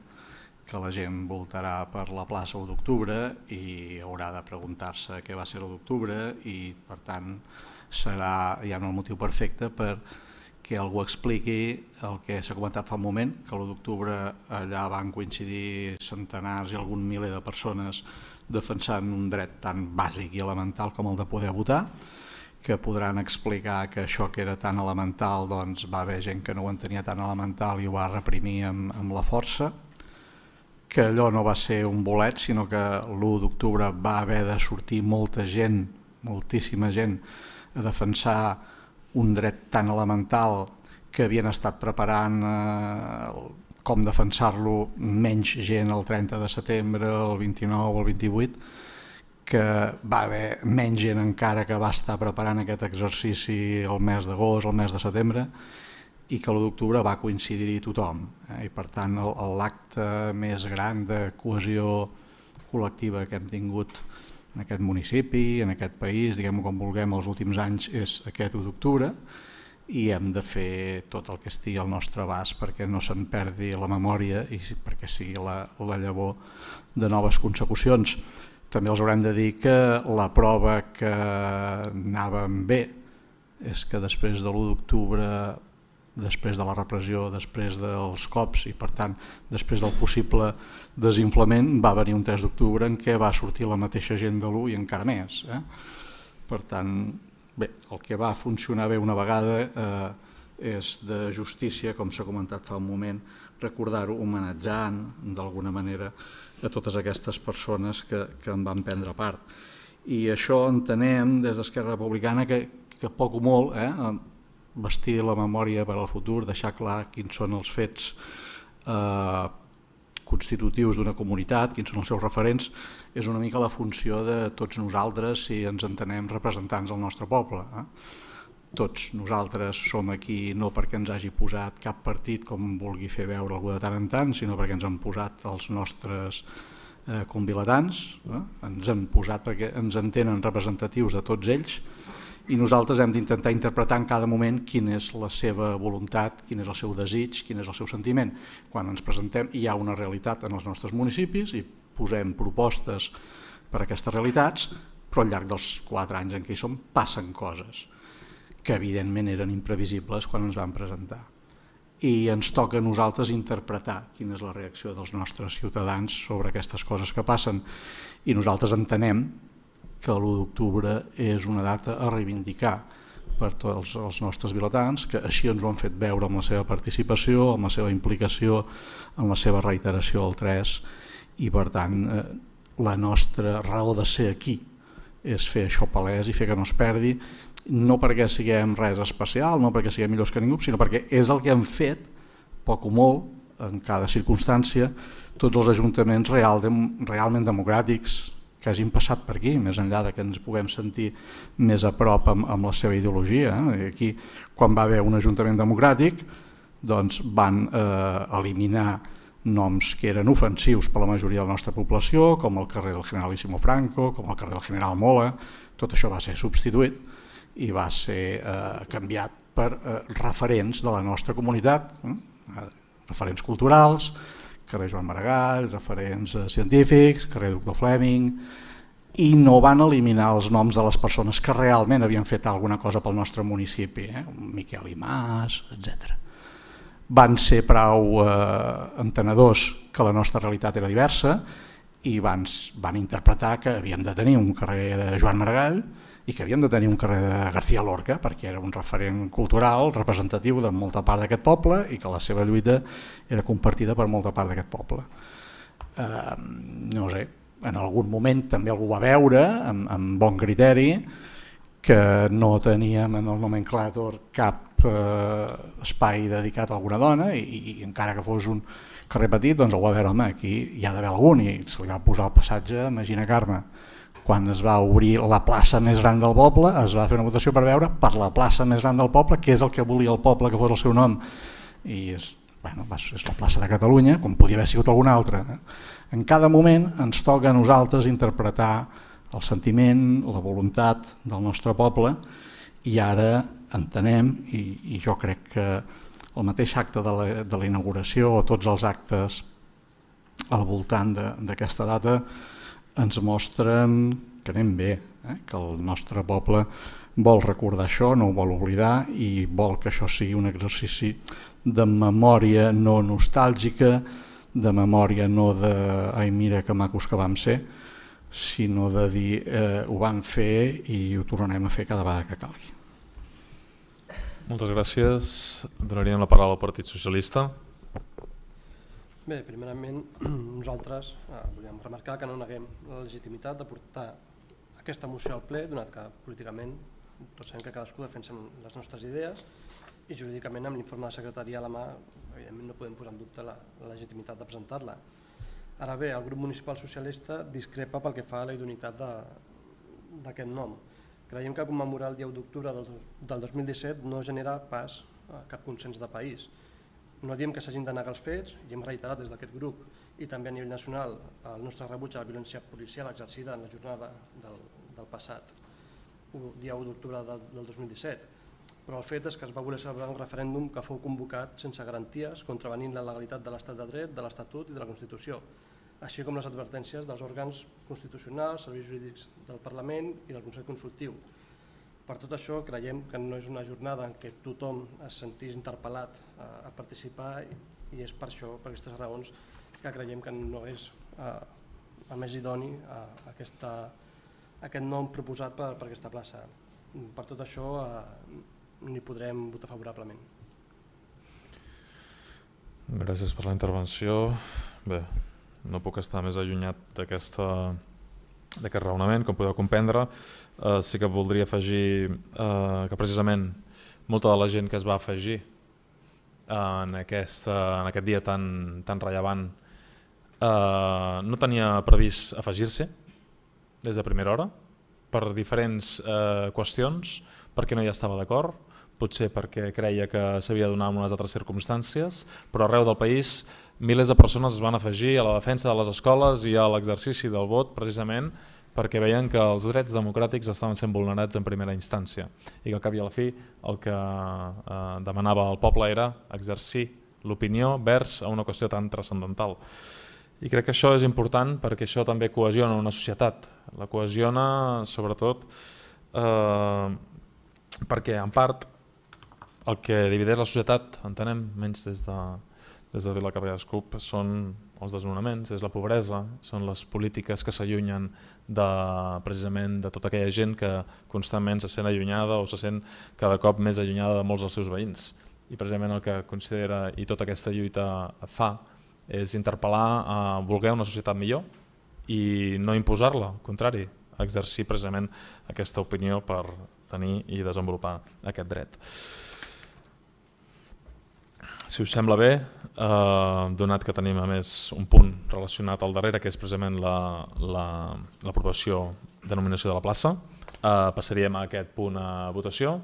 que la gent voltarà per la plaça 1 d'octubre i haurà de preguntar-se què va ser l'1 d'octubre i per tant serà ja un motiu perfecte per que algú expliqui el que s'ha comentat fa un moment, que l'1 d'octubre allà van coincidir centenars i algun miler de persones defensant un dret tan bàsic i elemental com el de poder votar, que podran explicar que això que era tan elemental doncs va haver gent que no ho entenia tan elemental i ho va reprimir amb la força, que allò no va ser un bolet, sinó que l'1 d'octubre va haver de sortir molta gent, moltíssima gent, a defensar un dret tan elemental que havien estat preparant com defensar-lo menys gent el 30 de setembre, el 29 o el 28, que va haver menys gent encara que va estar preparant aquest exercici el mes d'agost, el mes de setembre, i que l'1 d'octubre va coincidir-hi tothom. I per tant l'acte més gran de cohesió col·lectiva que hem tingut en aquest municipi, en aquest país, diguem-ho com vulguem, els últims anys és aquest 1 d'octubre i hem de fer tot el que estigui al nostre abast perquè no se'n perdi la memòria i perquè sigui la llavor de noves consecucions. També els haurem de dir que la prova que anàvem bé és que després de l'1 d'octubre, després de la repressió, després dels cops i per tant després del possible desinflament va venir un 3 d'octubre en què va sortir la mateixa gent de l'1 i encara més. Per tant, bé, el que va funcionar bé una vegada és de justícia, com s'ha comentat fa un moment, recordar-ho homenatjant d'alguna manera a totes aquestes persones que en van prendre part. I això entenem des d'Esquerra Republicana que poc o molt vestir la memòria per al futur, deixar clar quins són els fets constitutius d'una comunitat, quins són els seus referents, és una mica la funció de tots nosaltres si ens entenem representants del nostre poble. Tots nosaltres som aquí no perquè ens hagi posat cap partit com vulgui fer veure algú de tant en tant, sinó perquè ens han posat els nostres convilatans, ens han posat perquè ens entenen representatius de tots ells i nosaltres hem d'intentar interpretar en cada moment quina és la seva voluntat, quin és el seu desig, quin és el seu sentiment. Quan ens presentem hi ha una realitat en els nostres municipis i posem propostes per a aquestes realitats, però al llarg dels 4 anys en què hi som passen coses que evidentment eren imprevisibles quan ens van presentar. I ens toca a nosaltres interpretar quina és la reacció dels nostres ciutadans sobre aquestes coses que passen i nosaltres entenem que l'1 d'octubre és una data a reivindicar per tots els nostres vilatans, que així ens ho han fet veure amb la seva participació, amb la seva implicació, amb la seva reiteració al 3, i per tant la nostra raó de ser aquí és fer això palès i fer que no es perdi, no perquè siguem res especial, no perquè siguem millors que ningú, sinó perquè és el que han fet, poc o molt, en cada circumstància, tots els ajuntaments realment democràtics que hagin passat per aquí, més enllà que ens puguem sentir més a prop amb la seva ideologia. Aquí, quan va haver un ajuntament democràtic, doncs van eliminar noms que eren ofensius per la majoria de la nostra població, com el carrer del Generalísimo Franco, com el carrer del General Mola. Tot això va ser substituït i va ser canviat per referents de la nostra comunitat, referents culturals, carrer Joan Maragall, referents científics, carrer Doctor Fleming, i no van eliminar els noms de les persones que realment havien fet alguna cosa pel nostre municipi, Miquel Imàs, etc. Van ser prou entenedors que la nostra realitat era diversa i van interpretar que havíem de tenir un carrer de Joan Maragall i que havíem de tenir un carrer de García Lorca perquè era un referent cultural representatiu de molta part d'aquest poble i que la seva lluita era compartida per molta part d'aquest poble. No sé, en algun moment també algú va veure amb bon criteri que no teníem en el nomenclàtor cap espai dedicat a alguna dona i encara que fos un carrer petit doncs el va veure, home, aquí hi ha d'haver algun, i se li va posar el passatge Magina Carme. Quan es va obrir la plaça més gran del poble es va fer una votació per veure per la plaça més gran del poble, que és el que volia el poble que fos el seu nom, i és la plaça de Catalunya, com podia haver sigut alguna altra. En cada moment ens toca a nosaltres interpretar el sentiment, la voluntat del nostre poble, i ara entenem, i jo crec que el mateix acte de la inauguració o tots els actes al voltant d'aquesta data ens mostren que anem bé, que el nostre poble vol recordar això, no ho vol oblidar i vol que això sigui un exercici de memòria no nostàlgica, de memòria no de ai mira que macos que vam ser, sinó de dir ho vam fer i ho tornarem a fer cada vegada que calgui. Moltes gràcies. Donaríem la paraula al Partit Socialista. Bé, primerament nosaltres volíem remarcar que no neguem la legitimitat de portar aquesta moció al ple, donat que políticament tots sabem que cadascú defensem les nostres idees i jurídicament amb l'informe de secretaria a la mà evidentment no podem posar en dubte la legitimitat de presentar-la. Ara bé, el grup municipal socialista discrepa pel que fa a la idoneïtat d'aquest nom. Creiem que commemorar el dia 1 d'octubre del 2017 no genera pas cap consens de país. No diem que s'hagin de negar els fets i hem reiterat des d'aquest grup i també a nivell nacional el nostre rebuig a la violència policial exercida en la jornada del passat dia 1 d'octubre del 2017. Però el fet és que es va voler celebrar un referèndum que fou convocat sense garanties, contravenint la legalitat de l'estat de dret, de l'Estatut i de la Constitució, així com les advertències dels òrgans constitucionals, serveis jurídics del Parlament i del Consell Consultiu. Per tot això creiem que no és una jornada en què tothom es sentís interpel·lat a participar i és per això, per aquestes raons, que creiem que no és el més idoni aquest nom proposat per aquesta plaça. Per tot això n'hi podrem votar favorablement. Gràcies per la intervenció. Bé, no puc estar més allunyat d'aquest raonament, com podeu comprendre. Sí que voldria afegir que precisament molta de la gent que es va afegir en aquest dia tan rellevant no tenia previst afegir-se des de primera hora per diferents qüestions, perquè no hi estava d'acord, potser perquè creia que s'havia de donar en unes altres circumstàncies, però arreu del país milers de persones es van afegir a la defensa de les escoles i a l'exercici del vot precisament perquè veien que els drets democràtics estaven sent vulnerats en primera instància i que al cap i a la fi el que demanava el poble era exercir l'opinió vers a una qüestió tan transcendental. I crec que això és important perquè això també cohesiona una societat, la cohesiona sobretot perquè en part el que divideix la societat, entenem, menys des de Vila Cabrera Escup, són els desnonaments, és la pobresa, són les polítiques que s'allunyen precisament de tota aquella gent que constantment se sent allunyada o se sent cada cop més allunyada de molts dels seus veïns. I precisament el que considera i tota aquesta lluita fa és interpel·lar a voler una societat millor i no imposar-la, al contrari, exercir precisament aquesta opinió per tenir i desenvolupar aquest dret. Si us sembla bé, donat que tenim a més un punt relacionat al darrere, que és precisament l'aprovació de nominació de la plaça, passaríem a aquest punt a votació.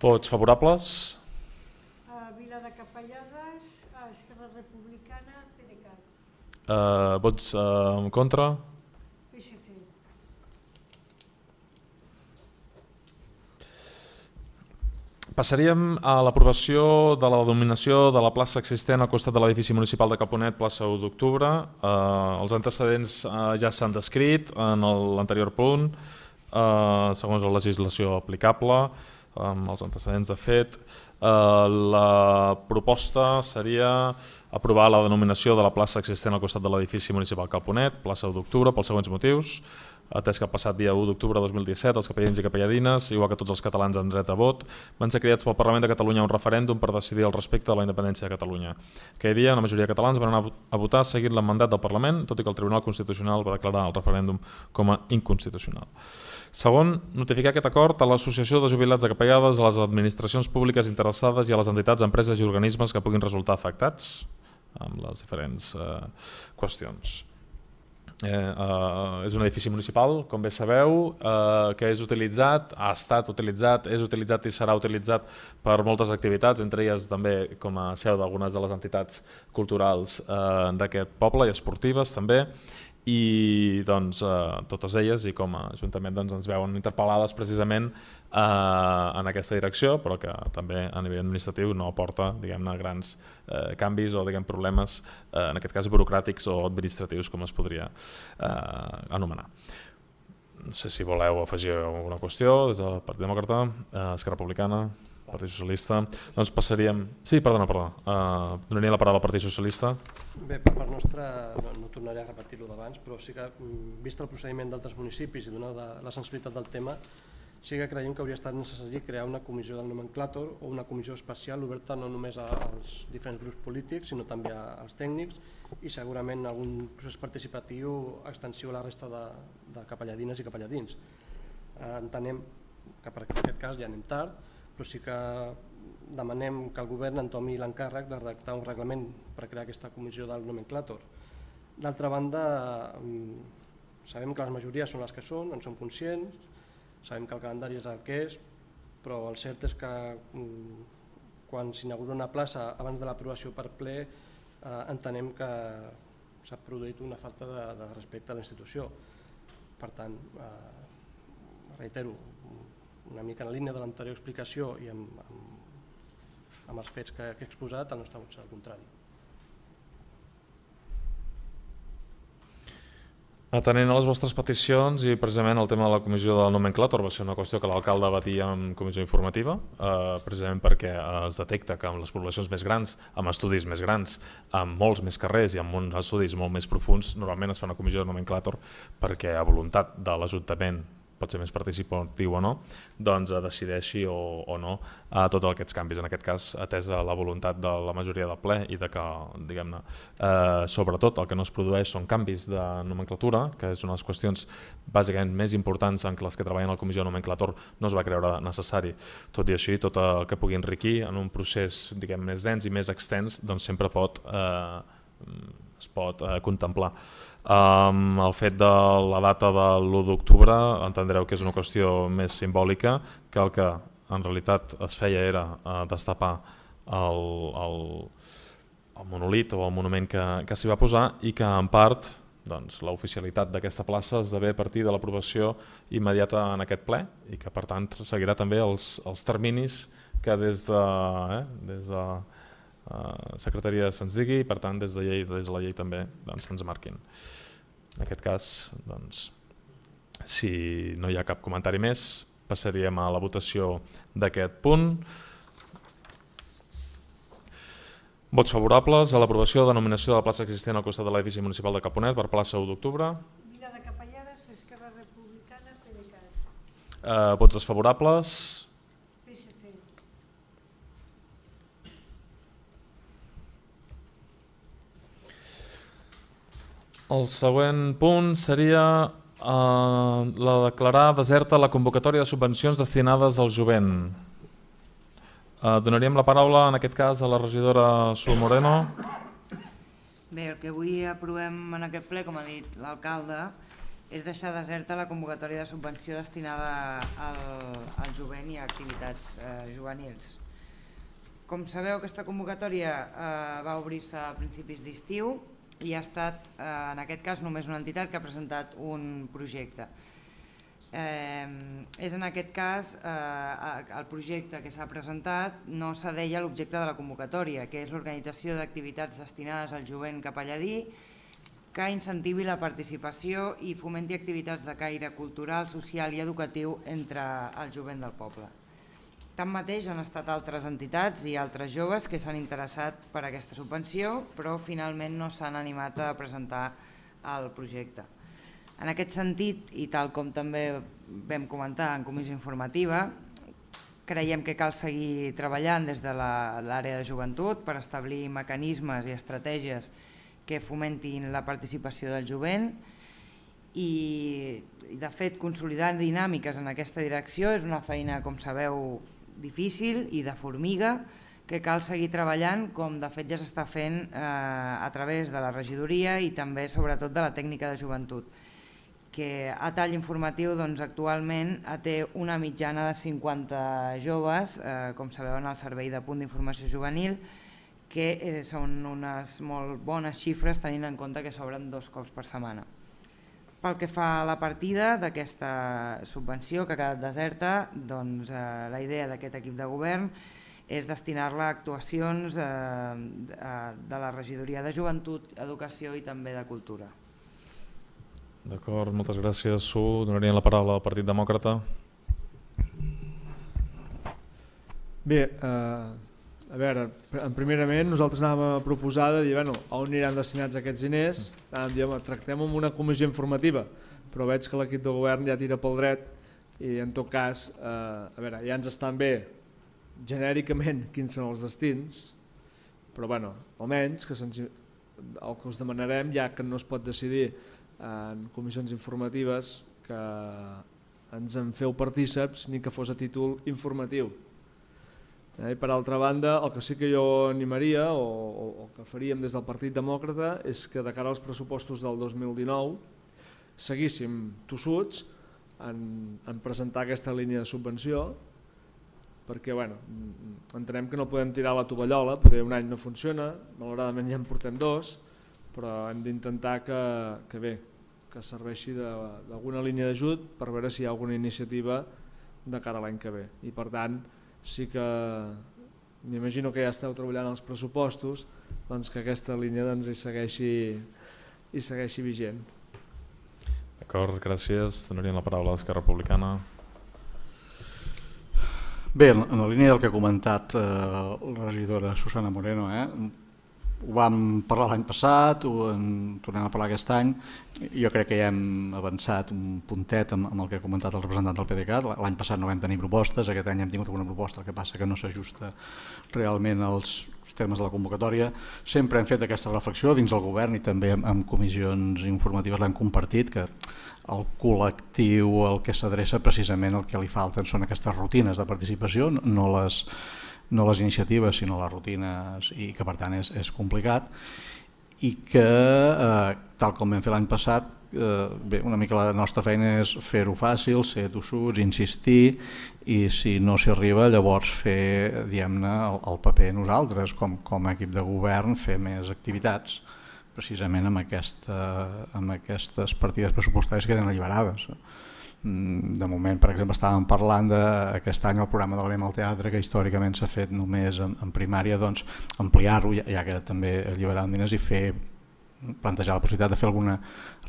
Vots favorables? Vila de Capellades, Esquerra Republicana, PDeCAT. Vots en contra? PSC. Passaríem a l'aprovació de la denominació de la plaça existent al costat de l'edifici municipal de Caponet, plaça 1 d'octubre. Els antecedents ja s'han descrit en l'anterior punt, segons la legislació aplicable, amb els antecedents de fet. La proposta seria aprovar la denominació de la plaça existent al costat de l'edifici municipal Caponet, plaça 1 d'octubre, pels següents motius. atès que el passat dia 1 d'octubre de 2017 els capellans i capelladines, igual que tots els catalans amb dret a vot, van ser cridats pel Parlament de Catalunya a un referèndum per decidir el respecte a la independència de Catalunya. Aquell dia, una majoria de catalans van anar a votar seguint el mandat del Parlament, tot i que el Tribunal Constitucional va declarar el referèndum com a inconstitucional. Segon, notificar aquest acord a l'Associació de Jubilats de Capellades, a les administracions públiques interessades i a les entitats, empreses i organismes que puguin resultar afectats amb les diferents qüestions. És un edifici municipal, com bé sabeu, que és utilitzat, ha estat utilitzat, és utilitzat i serà utilitzat per moltes activitats, entre elles també com a seu d'algunes de les entitats culturals d'aquest poble i esportives també, i doncs, totes elles i com a Ajuntament ens veuen interpel·lades precisament en aquesta direcció, però que també a nivell administratiu no aporta grans canvis o problemes, en aquest cas burocràtics o administratius, com es podria anomenar. No sé si voleu afegir alguna qüestió des del Partit Demòcrata, Esquerra Republicana, Partit Socialista. Doncs passaríem... Sí, perdona. Donaria la paraula al Partit Socialista. Bé, per part nostra, no tornaré a repetir-ho d'abans, però sí que, vist el procediment d'altres municipis i donada la sensibilitat del tema, sí que creiem que hauria estat necessari crear una comissió del nomenclàtor o una comissió especial oberta no només als diferents grups polítics, sinó també als tècnics i segurament algun procés participatiu extensiu a la resta de capelladines i capelladins. Entenem que per aquest cas ja anem tard, però sí que demanem que el govern entomi l'encàrrec de redactar un reglament per crear aquesta comissió del nomenclàtor. D'altra banda, sabem que les majories són les que són, en som conscients, sabem que el calendari és el que és, però el cert és que quan s'inaugura una plaça abans de l'aprovació per ple entenem que s'ha produït una falta de respecte a la institució. Per tant, reitero, una mica en la línia de l'anterior explicació i amb els fets que he exposat, el nostre vot serà el contrari. Atenent a les vostres peticions i precisament el tema de la comissió del nomenclàtor va ser una qüestió que l'alcalde batia en comissió informativa, precisament perquè es detecta que amb les poblacions més grans, amb estudis més grans, amb molts més carrers i amb uns estudis molt més profuns, normalment es fa una comissió de nomenclàtor perquè a voluntat de l'Ajuntament, pot ser més participatiu o no, doncs decideixi o no tots aquests canvis. En aquest cas, atesa la voluntat de la majoria del ple i de que, diguem-ne, sobretot el que no es produeix són canvis de nomenclatura, que és una de les qüestions bàsicament més importants en les que treballen a la comissió de nomenclàtor no es va creure necessari. Tot i així, tot el que pugui enriquir en un procés més dens i més extens, doncs sempre es pot contemplar. El fet de la data de l'1 d'octubre entendreu que és una qüestió més simbòlica, que el que en realitat es feia era destapar el monolit o el monument que s'hi va posar i que en part l'oficialitat d'aquesta plaça esdevé a partir de l'aprovació immediata en aquest ple i que per tant seguirà també els terminis que des de Secretaria se'ns digui i per tant des de la llei també se'ns marquin. En aquest cas, si no hi ha cap comentari més, passaríem a la votació d'aquest punt. Vots favorables a l'aprovació de la denominació de la plaça existent al costat de l'edifici municipal de Caponet per plaça 1 d'octubre. Vila de Capellades, Esquerra Republicana, PDeCAT. Vots desfavorables. El següent punt seria la declarar deserta la convocatòria de subvencions destinades al jovent. Donaríem la paraula en aquest cas a la regidora Sul Moreno. Bé, el que avui aprovem en aquest ple, com ha dit l'alcalde, és deixar deserta la convocatòria de subvenció destinada al jovent i a activitats juvenils. Com sabeu, aquesta convocatòria va obrir-se a principis d'estiu i ha estat, en aquest cas, només una entitat que ha presentat un projecte. És en aquest cas, el projecte que s'ha presentat no s'adeia a l'objecte de la convocatòria, que és l'organització d'activitats destinades al jovent capelladí que incentivi la participació i fomenti activitats de caire cultural, social i educatiu entre el jovent del poble. Tanmateix, han estat altres entitats i altres joves que s'han interessat per aquesta subvenció, però finalment no s'han animat a presentar el projecte. En aquest sentit, i tal com també vam comentar en comissió informativa, creiem que cal seguir treballant des de l'àrea de joventut per establir mecanismes i estratègies que fomentin la participació del jovent i de fet consolidar dinàmiques en aquesta direcció és una feina, com sabeu, difícil i de formiga que cal seguir treballant, com de fet ja s'està fent a través de la regidoria i també sobretot de la tècnica de joventut, que a tall informatiu actualment té una mitjana de 50 joves, com sabeu, en el servei de punt d'informació juvenil, que són unes molt bones xifres tenint en compte que s'obren 2 cops per setmana. Pel que fa a la partida d'aquesta subvenció que ha quedat deserta, la idea d'aquest equip de govern és destinar-la a actuacions de la regidoria de joventut, educació i també de cultura. D'acord, moltes gràcies. Donaria la paraula al Partit Demòcrata. Bé, a veure, primerament nosaltres anàvem a proposar de dir on aniran destinats aquests diners, tractem amb una comissió informativa, però veig que l'equip de govern ja tira pel dret i en tot cas, a veure, ja ens estan bé genèricament quins són els destins, però almenys el que us demanarem, ja que no es pot decidir en comissions informatives, que ens en feu partíceps ni que fos a títol informatiu. I per altra banda, el que sí que jo animaria o el que faríem des del Partit Demòcrata és que de cara als pressupostos del 2019 seguíssim tossuts en presentar aquesta línia de subvenció, perquè entenem que no podem tirar la tovallola, potser un any no funciona, malauradament ja en portem 2, però hem d'intentar que serveixi d'alguna línia d'ajut per veure si hi ha alguna iniciativa de cara a l'any que ve. I per tant, sí que m'imagino que ja esteu treballant els pressupostos, doncs que aquesta línia hi segueixi vigent. D'acord, gràcies. Donaríem la paraula a l'Esquerra Republicana. Bé, en la línia del que ha comentat la regidora Susana Moreno, ho vam parlar l'any passat, ho tornem a parlar aquest any. Jo crec que ja hem avançat un puntet amb el que ha comentat el representant del PDeCAT. L'any passat no vam tenir propostes, aquest any hem tingut alguna proposta, el que passa que no s'ajusta realment als termes de la convocatòria. Sempre hem fet aquesta reflexió dins el govern i també en comissions informatives l'hem compartit, que el col·lectiu al que s'adreça precisament el que li falten són aquestes rutines de participació, no les iniciatives sinó les rutines, i que per tant és complicat, i que tal com vam fer l'any passat, una mica la nostra feina és fer-ho fàcil, ser tossuts, insistir, i si no s'hi arriba llavors fer el paper nosaltres com a equip de govern, fer més activitats precisament amb aquestes partides pressupostàries que tenen alliberades. De moment, per exemple, estàvem parlant d'aquest any el programa de l'Anem al Teatre, que històricament s'ha fet només en primària, doncs ampliar-ho, ja que també alliberaran diners, i plantejar la possibilitat de fer alguna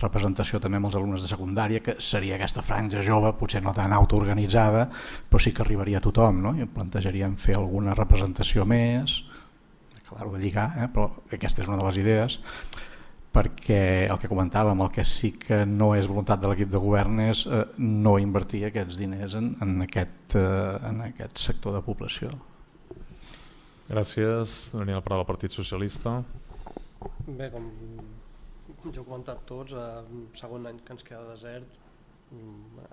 representació també amb els alumnes de secundària, que seria aquesta franja jove, potser no tan autoorganitzada, però sí que arribaria a tothom, no? I plantejaríem fer alguna representació més, clar-ho de lligar, però aquesta és una de les idees, perquè el que comentàvem, el que sí que no és voluntat de l'equip de govern és no invertir aquests diners en aquest sector de població. Gràcies. Donaria la paraula al Partit Socialista. Bé, com ja heu comentat tots, segon any que ens queda desert,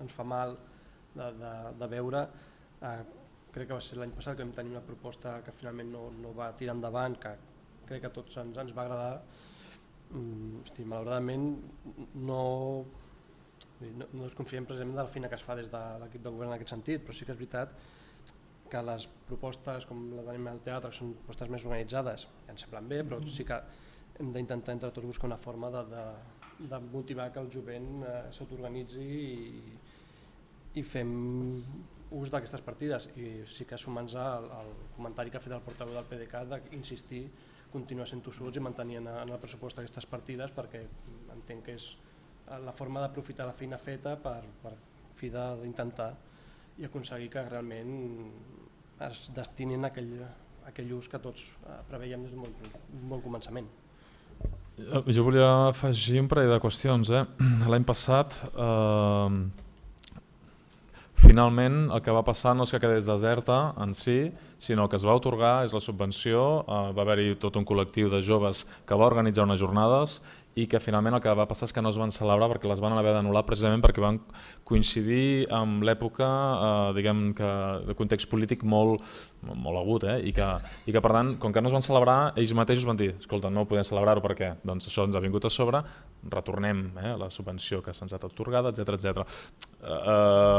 ens fa mal de veure. Crec que va ser l'any passat que vam tenir una proposta que finalment no va tirar endavant, que crec que a tots ens va agradar. Malauradament no desconfiem precisament de la feina que es fa des de l'equip de govern en aquest sentit, però sí que és veritat que les propostes com la d'Anem al Teatre, que són propostes més organitzades, ja ens semblen bé, però sí que hem d'intentar entre tots buscar una forma de motivar que el jovent s'autoorganitzi i fem ús d'aquestes partides. I sí que sumant-nos al comentari que ha fet el portaveu del PDeCAT d'insistir, continuar sent tossuts i mantenir en el pressupost aquestes partides, perquè entenc que és la forma d'aprofitar la feina feta per fi d'intentar i aconseguir que realment es destinin a aquell ús que tots preveiem des d'un bon començament. Jo volia afegir un parell de qüestions. L'any passat, finalment, el que va passar no és que quedés deserta en si, sinó que es va atorgar és la subvenció, va haver-hi tot un col·lectiu de joves que va organitzar unes jornades i que finalment el que va passar és que no es van celebrar perquè les van haver d'anul·lar precisament perquè van coincidir amb l'època diguem que de context polític molt agut i que per tant, com que no es van celebrar, ells mateixos van dir, escolta, no podem celebrar-ho perquè doncs, això ens ha vingut a sobre, retornem la subvenció que se'ns ha atorgada, etc.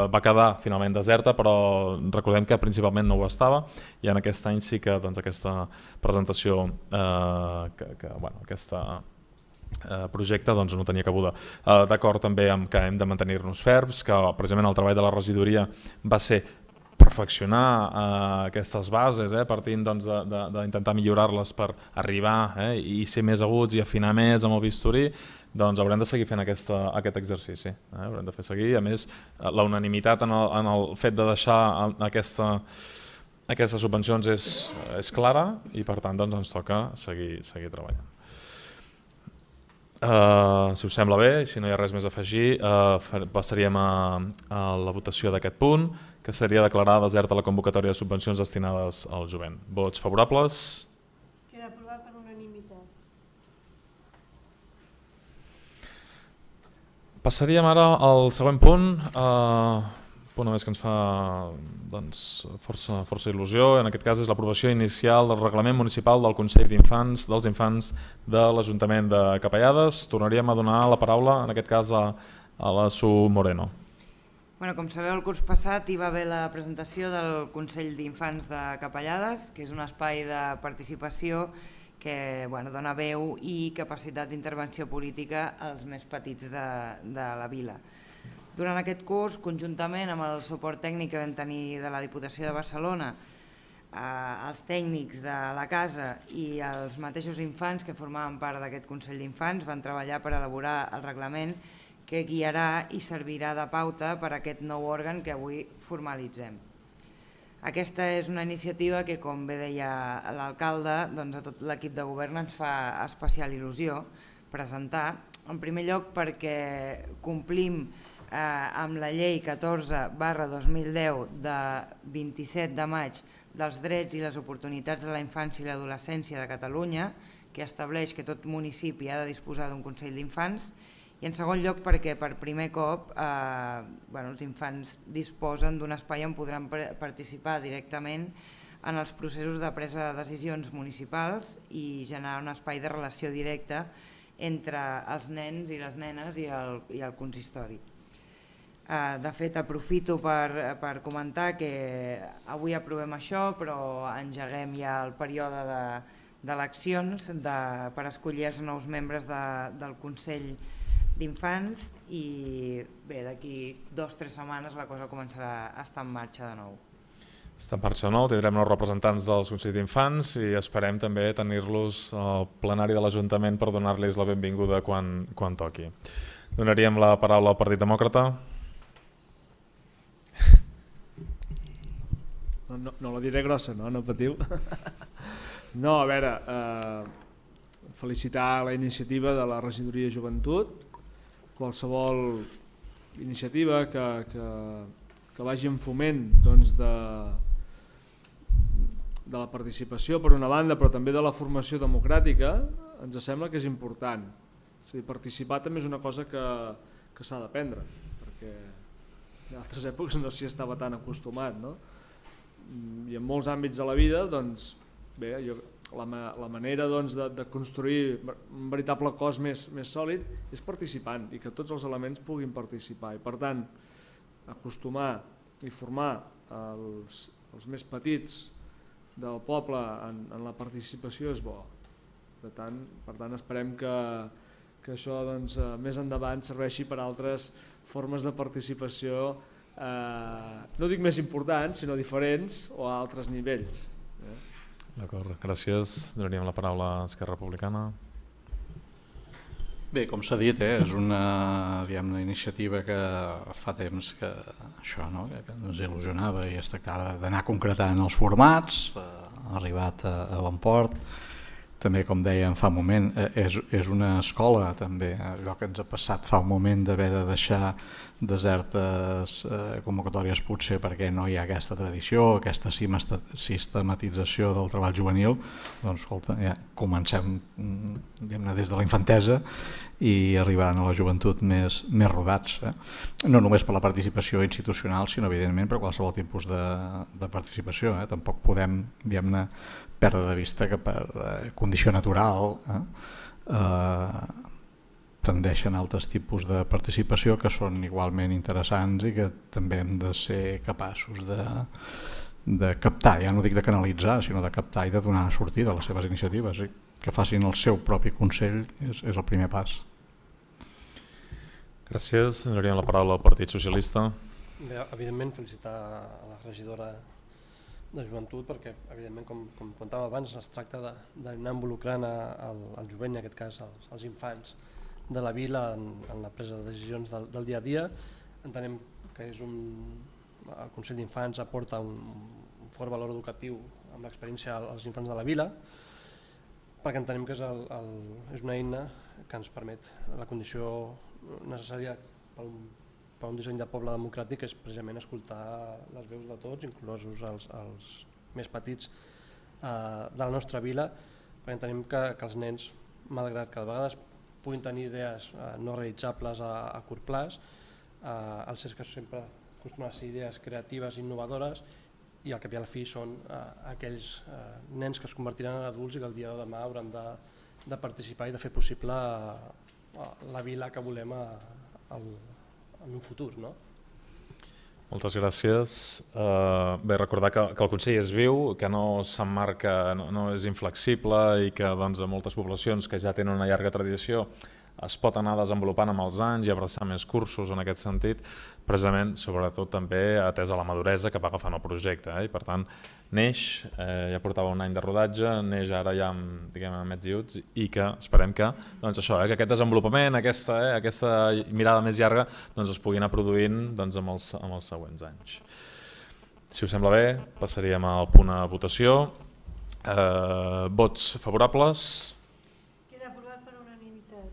Va quedar finalment deserta, però recordem que principalment no ho estava i en aquest any sí que doncs, aquesta presentació, aquesta projecte doncs, no tenia cabuda. D'acord també amb que hem de mantenir-nos ferms, que precisament el treball de la regidoria va ser perfeccionar aquestes bases, partint d'intentar millorar-les per arribar i ser més aguts i afinar més amb el bisturí, doncs haurem de seguir fent aquest exercici. Haurem de fer seguir. A més, la unanimitat en el fet de deixar aquestes subvencions és clara i per tant doncs, ens toca seguir treballant. Si us sembla bé, si no hi ha res més a afegir, passaríem a la votació d'aquest punt, que seria declarar deserta la convocatòria de subvencions destinades al jovent. Vots favorables? Queda aprovat per unanimitat. Passaríem ara al següent punt, punt a més que ens fa força il·lusió, en aquest cas és l'aprovació inicial del reglament municipal del Consell dels Infants de l'Ajuntament de Capellades. Tornaríem a donar la paraula, en aquest cas, a la Su Moreno. Com sabeu, el curs passat hi va haver la presentació del Consell d'Infants de Capellades, que és un espai de participació que dona veu i capacitat d'intervenció política als més petits de la vila. Durant aquest curs, conjuntament amb el suport tècnic que vam tenir de la Diputació de Barcelona, els tècnics de la casa i els mateixos infants que formaven part d'aquest Consell d'Infants van treballar per elaborar el reglament que guiarà i servirà de pauta per a aquest nou òrgan que avui formalitzem. Aquesta és una iniciativa que, com bé deia l'alcalde, a tot l'equip de govern ens fa especial il·lusió presentar. En primer lloc perquè complim amb la llei 14/2010 de 27 de maig dels drets i les oportunitats de la infància i l'adolescència de Catalunya, que estableix que tot municipi ha de disposar d'un Consell d'Infants, i en segon lloc perquè per primer cop els infants disposen d'un espai on podran participar directament en els processos de presa de decisions municipals i generar un espai de relació directa entre els nens i les nenes i el consistori. De fet, aprofito per comentar que avui aprovem això, però engeguem ja el període d'eleccions per escollir els nous membres del Consell d'Infants i bé, d'aquí 2 o 3 setmanes la cosa començarà a estar en marxa de nou. Està en marxa de nou, tindrem nous representants dels Consells d'Infants i esperem també tenir-los al plenari de l'Ajuntament per donar-los la benvinguda quan toqui. Donaríem la paraula al Partit Demòcrata. No la diré grossa, no patiu. No, a veure, felicitar la iniciativa de la Regidoria de Joventut. Qualsevol iniciativa que vagi en foment de la participació per una banda, però també de la formació democràtica, ens sembla que és important. Participar també és una cosa que s'ha d'aprendre, perquè en altres èpoques no s'hi estava tan acostumat, no? I en molts àmbits de la vida, doncs, bé, la manera de construir un veritable cos més sòlid és participant i que tots els elements puguin participar. I per tant, acostumar i formar els més petits del poble en la participació és bo. Per tant, esperem que això més endavant serveixi per altres formes de participació, no dic més importants, sinó diferents o a altres nivells. D'acord, gràcies. Donaríem la paraula a Esquerra Republicana. Bé, com s'ha dit, és una iniciativa que fa temps que ens il·lusionava i es tractava d'anar concretant els formats, ha arribat a bon port. també, com dèiem fa un moment, és una escola també, allò que ens ha passat fa un moment d'haver de deixar desertes convocatòries potser perquè no hi ha aquesta tradició, aquesta sistematització del treball juvenil. Doncs escolta, ja comencem des de la infantesa i arribaran a la joventut més rodats, no només per la participació institucional, sinó evidentment per qualsevol tipus de participació. Tampoc podem, diguem-ne, perdre de vista que per condició natural tendeixen altres tipus de participació que són igualment interessants i que també hem de ser capaços de captar, ja no dic de canalitzar, sinó de captar i de donar sortida a les seves iniciatives. Que facin el seu propi consell és el primer pas. Gràcies. Donaríem la paraula al Partit Socialista. Bé, evidentment felicitar a la regidora de joventut perquè, evidentment, com comentàvem abans, es tracta d'anar involucrant el jovent, en aquest cas els infants de la vila en la presa de decisions del dia a dia. Entenem que el Consell d'Infants aporta un fort valor educatiu amb l'experiència als infants de la vila, perquè entenem que és una eina que ens permet la condició necessària per un disseny de poble democràtic, que és precisament escoltar les veus de tots, inclosos els més petits de la nostra vila, perquè entenem que els nens, malgrat que de vegades puguin tenir idees no realitzables a curt plaç, el cert que sempre acostumen a ser idees creatives i innovadores, i al cap i a la fi són aquells nens que es convertiran en adults i que el dia de demà hauran de participar i de fer possible la vila que volem en un futur. Moltes gràcies. Bé, recordar que el Consell és viu, que no s'emmarca, no és inflexible i que a moltes poblacions que ja tenen una llarga tradició es pot anar desenvolupant amb els anys i abraçar més cursos en aquest sentit, precisament, sobretot també atesa la maduresa que va agafant el projecte. I per tant, neix, ja portava un any de rodatge, neix ara ja amb mets i uts, i que esperem que que aquest desenvolupament, aquesta mirada més llarga es pugui anar produint amb els següents anys. Si us sembla bé, passaríem al punt a votació. Vots favorables? Queda aprovat per unanimitat.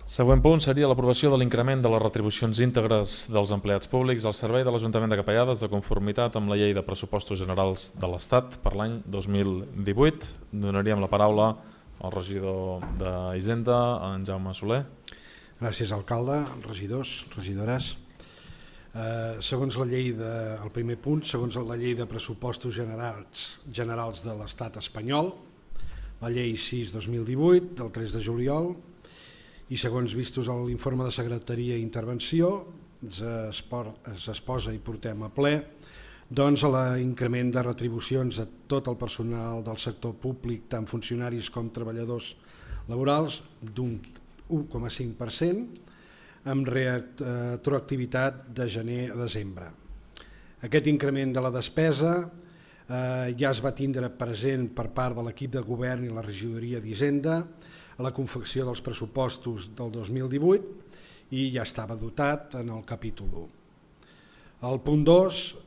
Següent punt seria l'aprovació de l'increment de les retribucions íntegres dels empleats públics al servei de l'Ajuntament de Capellades de conformitat amb la Llei de Pressupostos Generals de l'Estat per l'any 2018. Donaríem la paraula al regidor d'Hisenda, en Jaume Soler. Gràcies, alcalde, regidors, regidores. Segons la llei el primer punt, segons la Llei de Pressupostos Generals de l'Estat espanyol, la Llei 6/2018, del 3 de juliol, i segons vistos a l'informe de Secretaria i Intervenció, es exposa i portem a ple l'increment de retribucions a tot el personal del sector públic, tant funcionaris com treballadors laborals, d'un 1,5%, amb retroactivitat de gener a desembre. Aquest increment de la despesa ja es va tindre present per part de l'equip de govern i la regidoria d'Hisenda a la confecció dels pressupostos del 2018 i ja estava dotat en el capítol 1. El punt 2,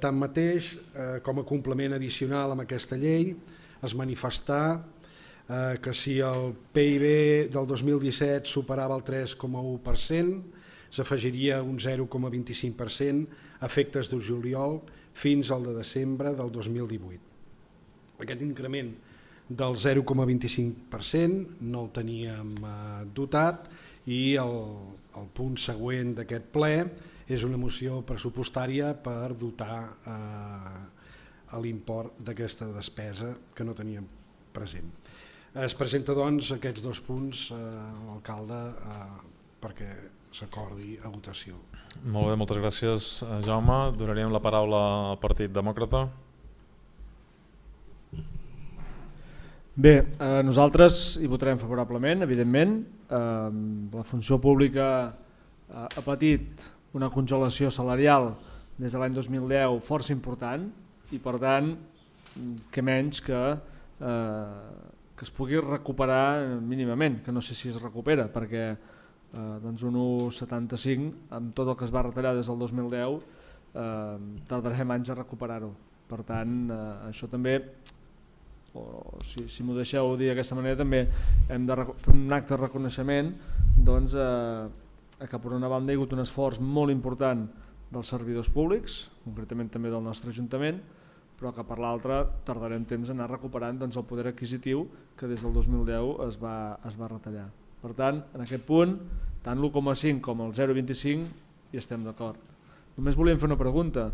tanmateix, com a complement addicional amb aquesta llei, es manifestà que si el PIB del 2017 superava el 3,1%, s'afegiria un 0,25% a efectes de juliol fins al de desembre del 2018. Aquest increment del 0,25% no el teníem dotat i el punt següent d'aquest ple és una moció pressupostària per dotar l'import d'aquesta despesa que no teníem present. Es presenta doncs aquests dos punts, alcalde, perquè s'acordi a votació. Molt bé, moltes gràcies, Jaume. Donaríem la paraula al Partit Demòcrata. Bé, nosaltres hi votarem favorablement, evidentment. La funció pública ha patit una congelació salarial des de l'any 2010 força important i, per tant, que menys que es pugui recuperar mínimament, que no sé si es recupera, perquè un 1,75 amb tot el que es va retallar des del 2010 tardarem anys a recuperar-ho. Per tant, això també, si m'ho deixeu dir d'aquesta manera, també hem de fer un acte de reconeixement que per una banda hi ha hagut un esforç molt important dels servidors públics, concretament també del nostre Ajuntament, però que per l'altra tardarem temps a anar recuperant el poder adquisitiu que des del 2010 es va retallar. Per tant, en aquest punt, tant l'1,5 com el 0,25 hi estem d'acord. Només volíem fer una pregunta.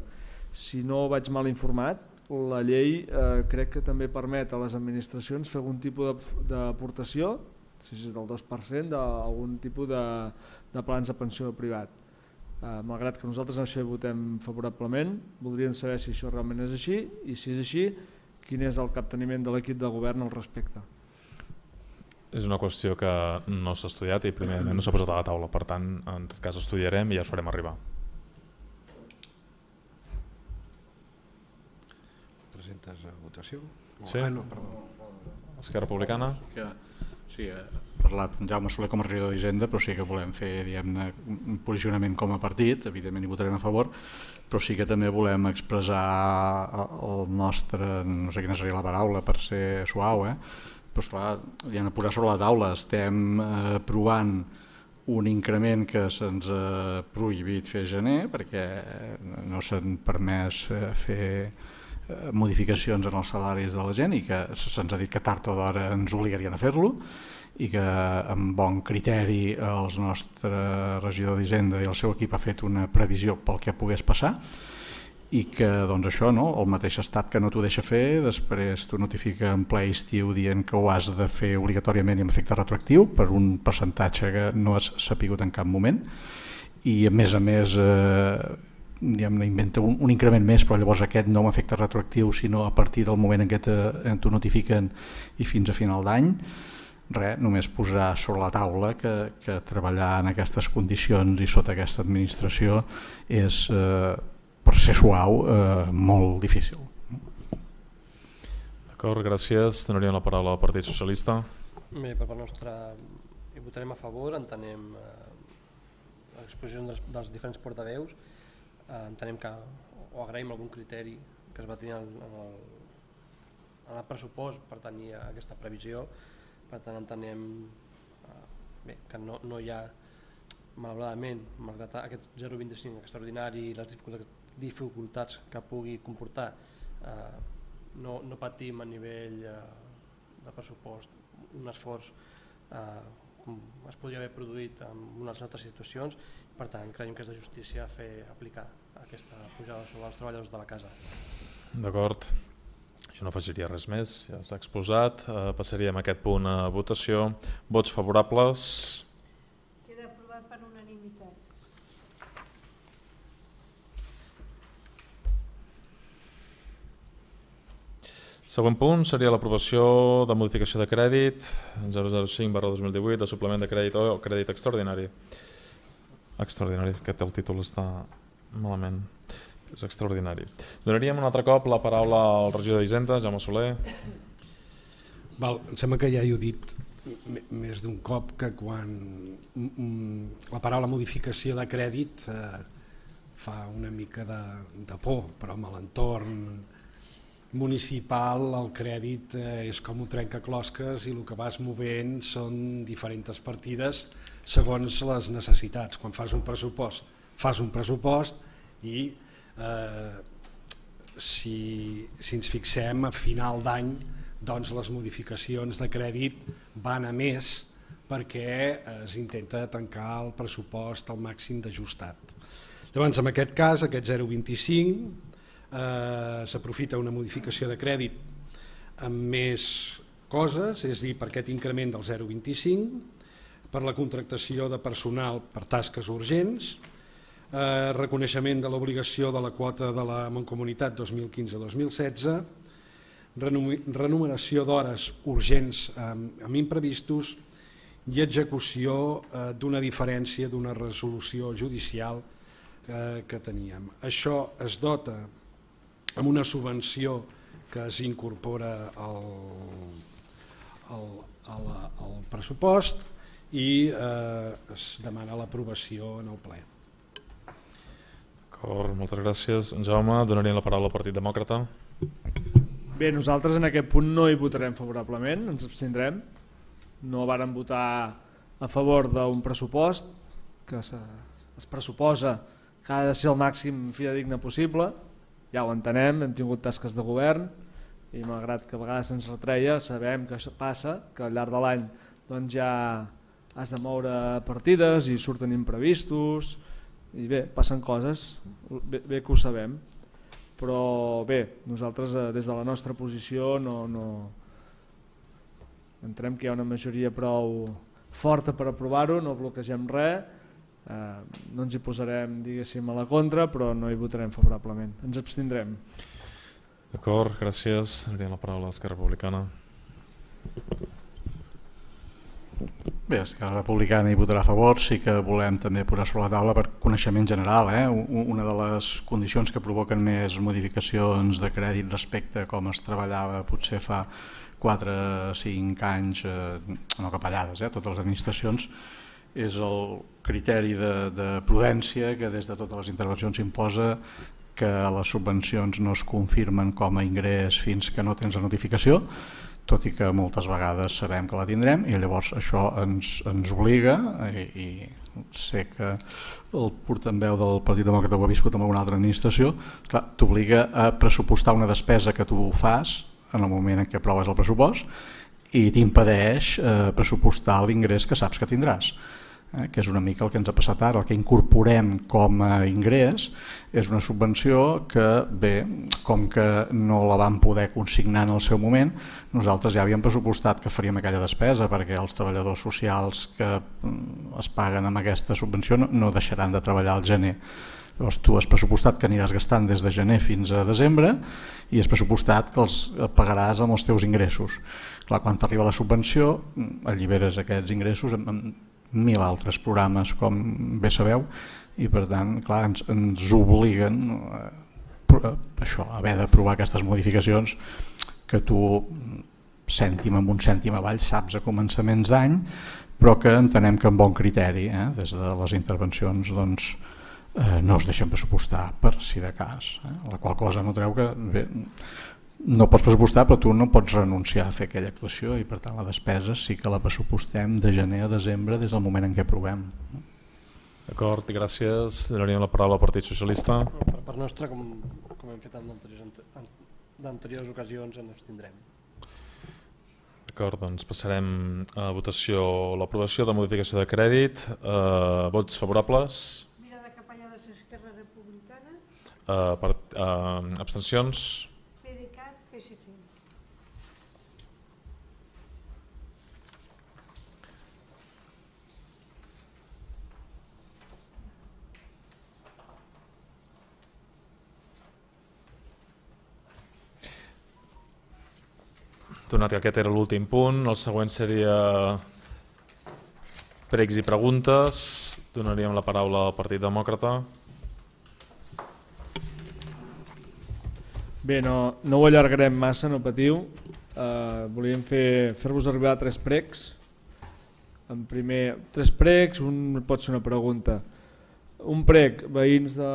Si no vaig mal informat, la llei crec que també permet a les administracions fer algun tipus d'aportació, si és del 2%, d'algun tipus de plans de pensió privat. Malgrat que nosaltres en això hi votem favorablement, voldríem saber si això realment és així i si és així, quin és el capteniment de l'equip de govern al respecte. És una qüestió que no s'ha estudiat i primerament no s'ha posat a la taula, per tant, en tot cas estudiarem i ja es farem arribar. Presentes a votació? Sí? No, perdó. Esquerra Republicana? Sí, ha parlat en Jaume Soler com a regidor d'Hisenda, però sí que volem fer un posicionament com a partit, evidentment hi votarem a favor, però sí que també volem expressar el nostre, no sé quina seria la paraula per ser suau, però esclar, ja hem de posar sobre la taula, estem aprovant un increment que se'ns ha prohibit fer a gener perquè no s'han permès fer modificacions en els salaris de la gent i que se'ns ha dit que tard o d'hora ens obligarien a fer-lo i que amb bon criteri el nostre regidor d'Hisenda i el seu equip ha fet una previsió pel que pogués passar i que doncs això, el mateix estat que no t'ho deixa fer, després t'ho notifica en ple estiu dient que ho has de fer obligatòriament i amb efecte retroactiu per un percentatge que no has sapigut en cap moment i a més inventa un increment més, però llavors aquest no amb efecte retroactiu sinó a partir del moment en què t'ho notifiquen i fins a final d'any. Res, només posar sobre la taula que treballar en aquestes condicions i sota aquesta administració és, per ser suau, molt difícil. D'acord, gràcies. Donaríem la paraula al Partit Socialista. Bé, per part nostra hi votarem a favor, entenem l'exposició dels diferents portaveus, entenem que o agraïm algun criteri que es va tenir en el pressupost per tenir aquesta previsió, per tant entenem que no hi ha, malauradament, malgrat aquest 0,25 extraordinari i les dificultats que pugui comportar, no patim a nivell de pressupost un esforç com es podria haver produït en unes altres situacions. Per tant, creiem que és de justícia aplicar aquesta pujada sobre els treballadors de la casa. D'acord, jo no afegiria res més, ja s'ha exposat. Passaríem a aquest punt a votació. Vots favorables? Queda aprovat per unanimitat. Següent punt seria l'aprovació de modificació de crèdit 005/2018 de suplement de crèdit o crèdit extraordinari. Extraordinari, que el títol està malament. És extraordinari. Donaríem un altre cop la paraula al regidor d'Hisenda, Jaume Soler. Em sembla que ja he dit més d'un cop que quan la paraula modificació de crèdit fa una mica de por, però amb l'entorn municipal el crèdit és com un trencaclosques i el que vas movent són diferents partides segons les necessitats. Quan fas un pressupost i si ens fixem a final d'any doncs les modificacions de crèdit van a més perquè es intenta tancar el pressupost al màxim d'ajustat. Llavors, en aquest cas, aquest 0,25 s'aprofita una modificació de crèdit amb més coses, és a dir, per aquest increment del 0,25, per la contractació de personal per tasques urgents, reconeixement de l'obligació de la quota de la Mancomunitat 2015-2016, renumeració d'hores urgents amb imprevistos i execució d'una diferència d'una resolució judicial que teníem. Això es dota amb una subvenció que es incorpora al pressupost i es demana l'aprovació en el ple. D'acord, moltes gràcies. En Jaume, donaríem la paraula al Partit Demòcrata. Bé, nosaltres en aquest punt no hi votarem favorablement, ens abstindrem. No vàrem votar a favor d'un pressupost que es pressuposa que ha de ser el màxim fidedigne possible. Ja ho entenem, hem tingut tasques de govern i malgrat que a vegades ens retreia, sabem que passa, que al llarg de l'any doncs ja has de moure partides i surten imprevistos i bé, passen coses, bé que ho sabem. Però bé, nosaltres des de la nostra posició no entenem que hi ha una majoria prou forta per aprovar-ho, no bloquegem res, no ens hi posarem diguéssim a la contra, però no hi votarem favorablement, ens abstindrem. D'acord, gràcies. Donaríem la paraula a Esquerra Republicana. Bé, Esquerra Republicana hi votarà a favor, sí que volem també posar sobre la taula per coneixement general. Una de les condicions que provoquen més modificacions de crèdit respecte a com es treballava potser fa 4 o 5 anys, no capellades, totes les administracions, és el criteri de prudència que des de totes les intervencions s'imposa que les subvencions no es confirmen com a ingrés fins que no tens la notificació, tot i que moltes vegades sabem que la tindrem i llavors això ens obliga, i sé que el portaveu del Partit Demòcrata ho ha viscut amb alguna altra administració, t'obliga a pressupostar una despesa que tu fas en el moment en què aproves el pressupost i t'impedeix pressupostar l'ingrés que saps que tindràs, que és una mica el que ens ha passat ara. El que incorporem com a ingrés és una subvenció que, bé, com que no la vam poder consignar en el seu moment, nosaltres ja havíem pressupostat que faríem aquella despesa perquè els treballadors socials que es paguen amb aquesta subvenció no deixaran de treballar al gener. Llavors tu has pressupostat que aniràs gastant des de gener fins a desembre i has pressupostat que els pagaràs amb els teus ingressos. Clar, quan t'arriba la subvenció alliberes aquests ingressos en 1.000 altres programes, com bé sabeu, i per tant clar, ens obliguen això, a haver d'aprovar aquestes modificacions que tu cèntim amb un cèntim avall saps a començaments d'any, però que entenem que amb bon criteri, des de les intervencions doncs, no es deixen pressupostar per si de cas, la qual cosa no treu que bé, no pots pressupostar però tu no pots renunciar a fer aquella actuació i per tant la despesa sí que la pressupostem de gener a desembre des del moment en què aprovem. D'acord, gràcies. Donaríem la paraula al Partit Socialista. Per nostra, com hem fet en d'anteriors ocasions, ens abstindrem. D'acord, doncs passarem a votació l'aprovació de modificació de crèdit. Vots favorables? Mira de Capellades, Esquerra Republicana. Abstencions? PDeCAT, PSC. Donat que aquest era l'últim punt, el següent seria pregs i preguntes. Donaríem la paraula al Partit Demòcrata. Bé, no ho allargarem massa, no patiu. Volíem fer-vos arribar 3 pregs. En primer, 3 pregs, un pot ser una pregunta. Un prec, veïns de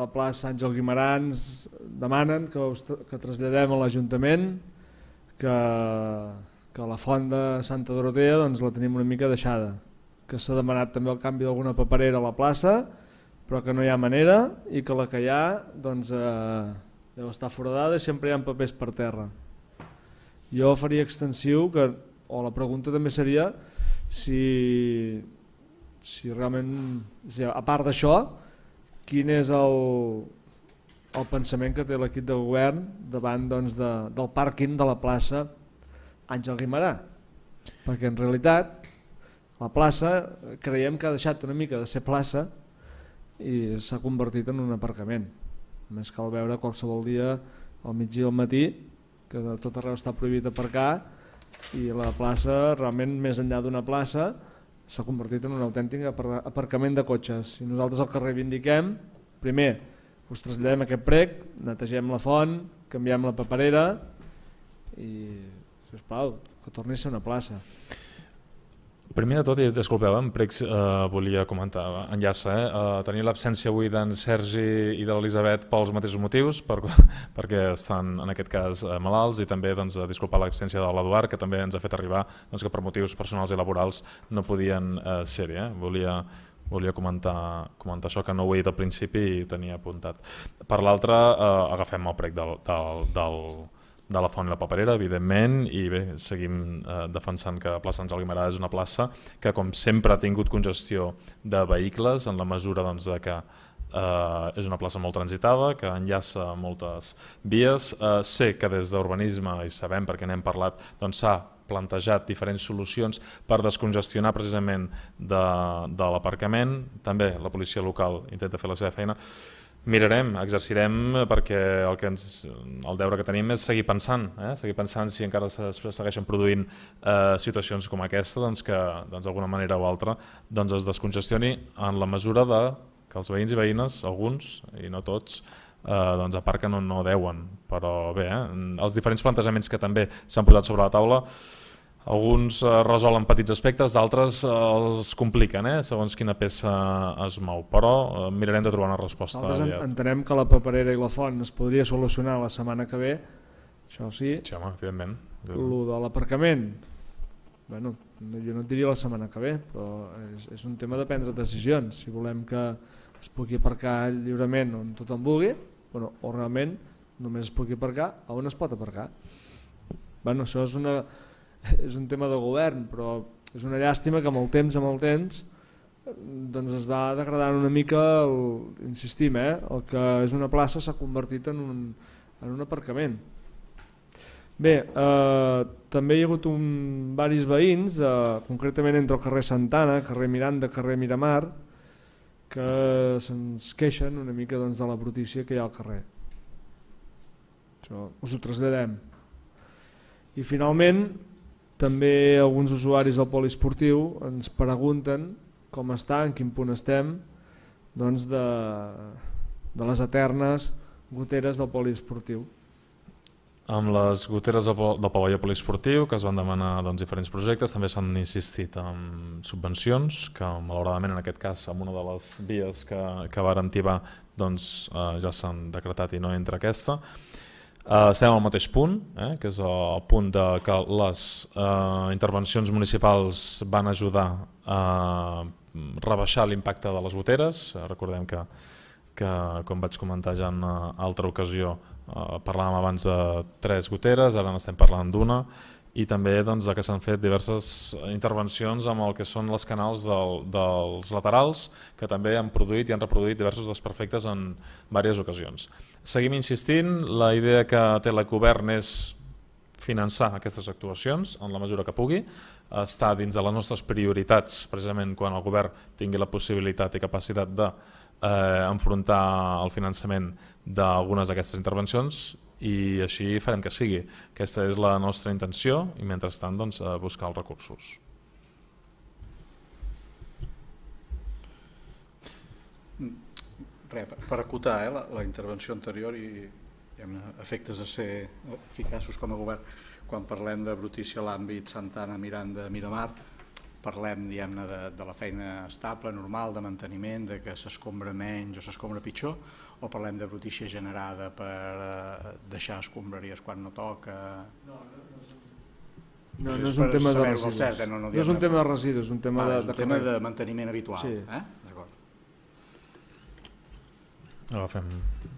la plaça Àngel Guimarans demanen que traslladem a l'Ajuntament que la font de Santa Dorotea doncs, la tenim una mica deixada, que s'ha demanat també el canvi d'alguna paperera a la plaça, però que no hi ha manera i que la que hi ha doncs, deu estar foradada i sempre hi ha papers per terra. Jo faria extensiu, o la pregunta també seria si realment, a part d'això, quin és el pensament que té l'equip de govern davant doncs, del pàrquing de la plaça Àngel Guimarà, perquè en realitat la plaça creiem que ha deixat una mica de ser plaça i s'ha convertit en un aparcament. Només cal veure qualsevol dia al migdia i al matí que de tot arreu està prohibit aparcar i la plaça realment més enllà d'una plaça s'ha convertit en un autèntic aparcament de cotxes. I nosaltres el que reivindiquem, primer, us traslladem aquest prec, netegem la font, canviem la paperera i, sisplau, que torni a ser una plaça. Primer de tot, i disculpeu, en Prex volia comentar, enllaça, tenir l'absència avui d'en Sergi i de l'Elisabet pels mateixos motius, perquè estan en aquest cas malalts, i també disculpar l'absència de l'Eduard, que també ens ha fet arribar que per motius personals i laborals no podien ser-hi. Volia comentar això, que no ho he dit al principi i tenia apuntat. Per l'altre, agafem el prec de la Font i la Paperera, evidentment, i bé, seguim defensant que plaça Àngel Guimerà és una plaça que, com sempre, ha tingut congestió de vehicles, en la mesura de que és una plaça molt transitada, que enllaça moltes vies. Sé que des d'urbanisme, i sabem perquè n'hem parlat, s'ha plantejat diferents solucions per descongestionar precisament de l'aparcament. També la policia local intenta fer la seva feina. Mirarem, exercirem, perquè el deure que tenim és seguir pensant si encara es segueixen produint situacions com aquesta, que d'alguna manera o altra es descongestioni en la mesura que els veïns i veïnes, alguns i no tots, aparquen on no deuen. Però bé, els diferents plantejaments que també s'han posat sobre la taula, alguns resolen petits aspectes, d'altres els compliquen, segons quina peça es mou, però mirarem de trobar una resposta. Nosaltres entenem que la Paperera i la Font es podria solucionar la setmana que ve, això sí. Sí, home, evidentment. El de l'aparcament, bueno, jo no et diria la setmana que ve, però és un tema de prendre decisions. Si volem que es pugui aparcar lliurement on tothom vulgui, o realment només es pugui aparcar on es pot aparcar. Bueno, això és un tema de govern, però és una llàstima que amb el temps es va degradant una mica, insistim, el que és una plaça s'ha convertit en un aparcament. Bé, també hi ha hagut diversos veïns, concretament entre el carrer Santana, carrer Miranda, carrer Miramar, que se'ns queixen una mica de la brutícia que hi ha al carrer. Això us ho traslladem. I finalment, també alguns usuaris del poliesportiu ens pregunten com està, en quin punt estem de les eternes goteres del poliesportiu. Amb les goteres del pavelló poliesportiu, que es van demanar diferents projectes, també s'han insistit en subvencions, que malauradament en aquest cas amb una de les vies que varen tibar ja s'han decretat i no entra aquesta. Estem al mateix punt, que és el punt que les intervencions municipals van ajudar a rebaixar l'impacte de les goteres. Recordem que, com vaig comentar ja en altra ocasió, parlàvem abans de 3 goteres, ara n'estem parlant d'una, i també que s'han fet diverses intervencions amb el que són els canals dels laterals, que també han produït i han reproduït diversos desperfectes en diverses ocasions. Seguim insistint, la idea que té l'Ecogovern és finançar aquestes actuacions en la mesura que pugui, està dins de les nostres prioritats precisament quan el govern tingui la possibilitat i capacitat d'enfrontar el finançament d'algunes d'aquestes intervencions, i així farem que sigui. Aquesta és la nostra intenció i mentrestant buscar els recursos. Per acotar la intervenció anterior i efectes de ser eficaços com a govern, quan parlem de brutícia a l'àmbit Santana, Miranda, Miramar, parlem de la feina estable, normal, de manteniment, de que s'escombra menys o s'escombra pitjor, o parlem de brutícia generada per deixar escombraries quan no toca? No és un tema de residus. No és un tema de residus, és un tema de manteniment habitual. Agafem.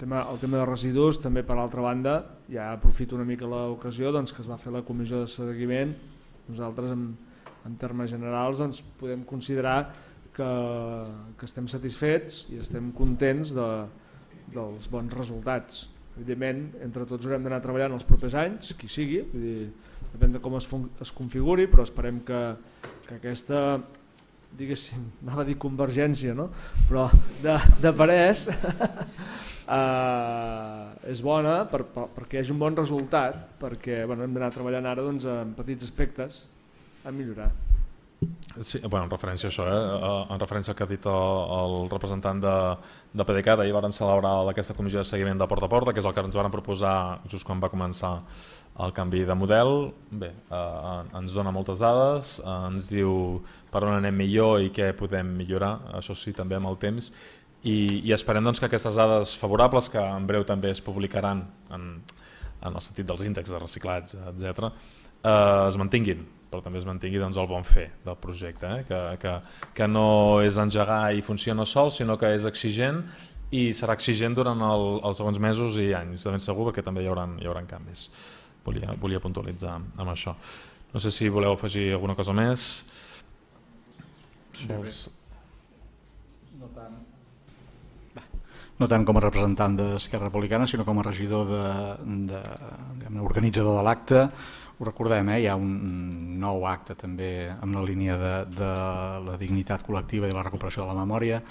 El tema de residus, també per l'altra banda, ja aprofito una mica l'ocasió que es va fer la comissió de seguiment. Nosaltres, en termes generals, podem considerar que estem satisfets i estem contents dels bons resultats. Evidentment, entre tots haurem d'anar treballant els propers anys, qui sigui, depèn de com es configuri, però esperem que aquesta, diguéssim, anava a dir convergència, no? Però de parers és bona perquè hi hagi un bon resultat, perquè hem d'anar treballant ara en petits aspectes a millorar. Sí, bueno, en referència a això, en referència al que ha dit el representant de PDeCAT, ahir vàrem celebrar aquesta comissió de seguiment de porta a porta, que és el que ens vàrem proposar just quan va començar el canvi de model. Bé, ens dona moltes dades, ens diu per on anem millor i què podem millorar, això sí, també amb el temps, i esperem doncs, que aquestes dades favorables, que en breu també es publicaran en el sentit dels índexs de reciclats, etc., es mantinguin, però també es mantingui doncs, el bon fer del projecte, que no és engegar i funciona sol, sinó que és exigent i serà exigent durant els següents mesos i anys, de ben segur, perquè també hi haurà canvis. Volia puntualitzar amb això. No sé si voleu afegir alguna cosa més. No tant com a representant d'Esquerra Republicana, sinó com a regidor organitzador de l'acte. Ho recordem, hi ha un nou acte també en la línia de la dignitat col·lectiva i la recuperació de la memòria.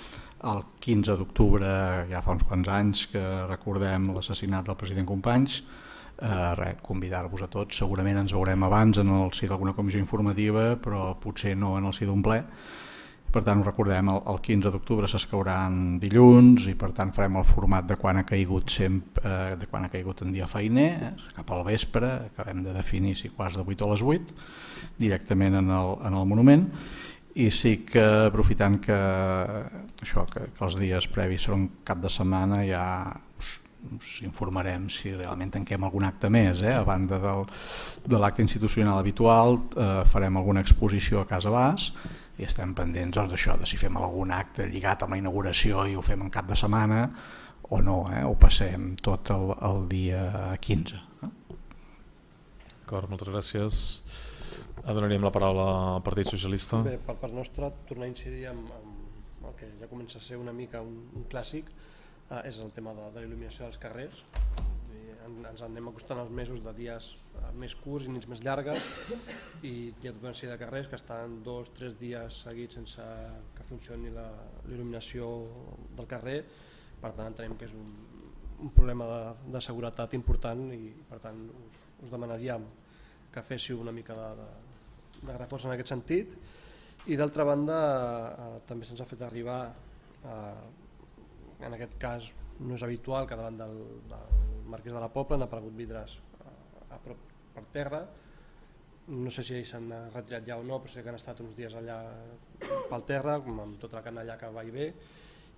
El 15 d'octubre, ja fa uns quants anys, que recordem l'assassinat del president Companys. Convidar-vos a tots, segurament ens veurem abans en el si d'alguna comissió informativa, però potser no en el si d'un ple. Per tant, ho recordem, el 15 d'octubre s'escauran dilluns i per tant farem el format de quan ha caigut en dia feiner, cap al vespre, acabem de definir si quarts de 8 o les 8, directament en el monument. I sí que aprofitant que els dies previs són cap de setmana, ja us informarem si realment tanquem algun acte més. A banda de l'acte institucional habitual, farem alguna exposició a Casa Bas i estem pendents d'això, de si fem algun acte lligat amb la inauguració i ho fem en cap de setmana o no, ho passem tot el dia 15. D'acord, moltes gràcies. Donaríem la paraula al Partit Socialista. Bé, per part nostra, tornar a incidir amb el que ja comença a ser una mica un clàssic, és el tema de la il·luminació dels carrers. Ens anem acostant als mesos de dies més curts i nits més llargues i hi ha tota una sèrie de carrers que estan 2 o 3 dies seguits sense que funcioni la il·luminació del carrer. Per tant, entenem que és un problema de seguretat important i per tant us demanaríem que féssiu una mica de reforç en aquest sentit. I d'altra banda, també se'ns ha fet arribar, en aquest cas no és habitual que davant del Marquès de la Pobla han aparegut vidres a prop per terra. No sé si ells s'han retirat ja o no, però sé que han estat uns dies allà pel terra, amb tota la canalla que va i ve.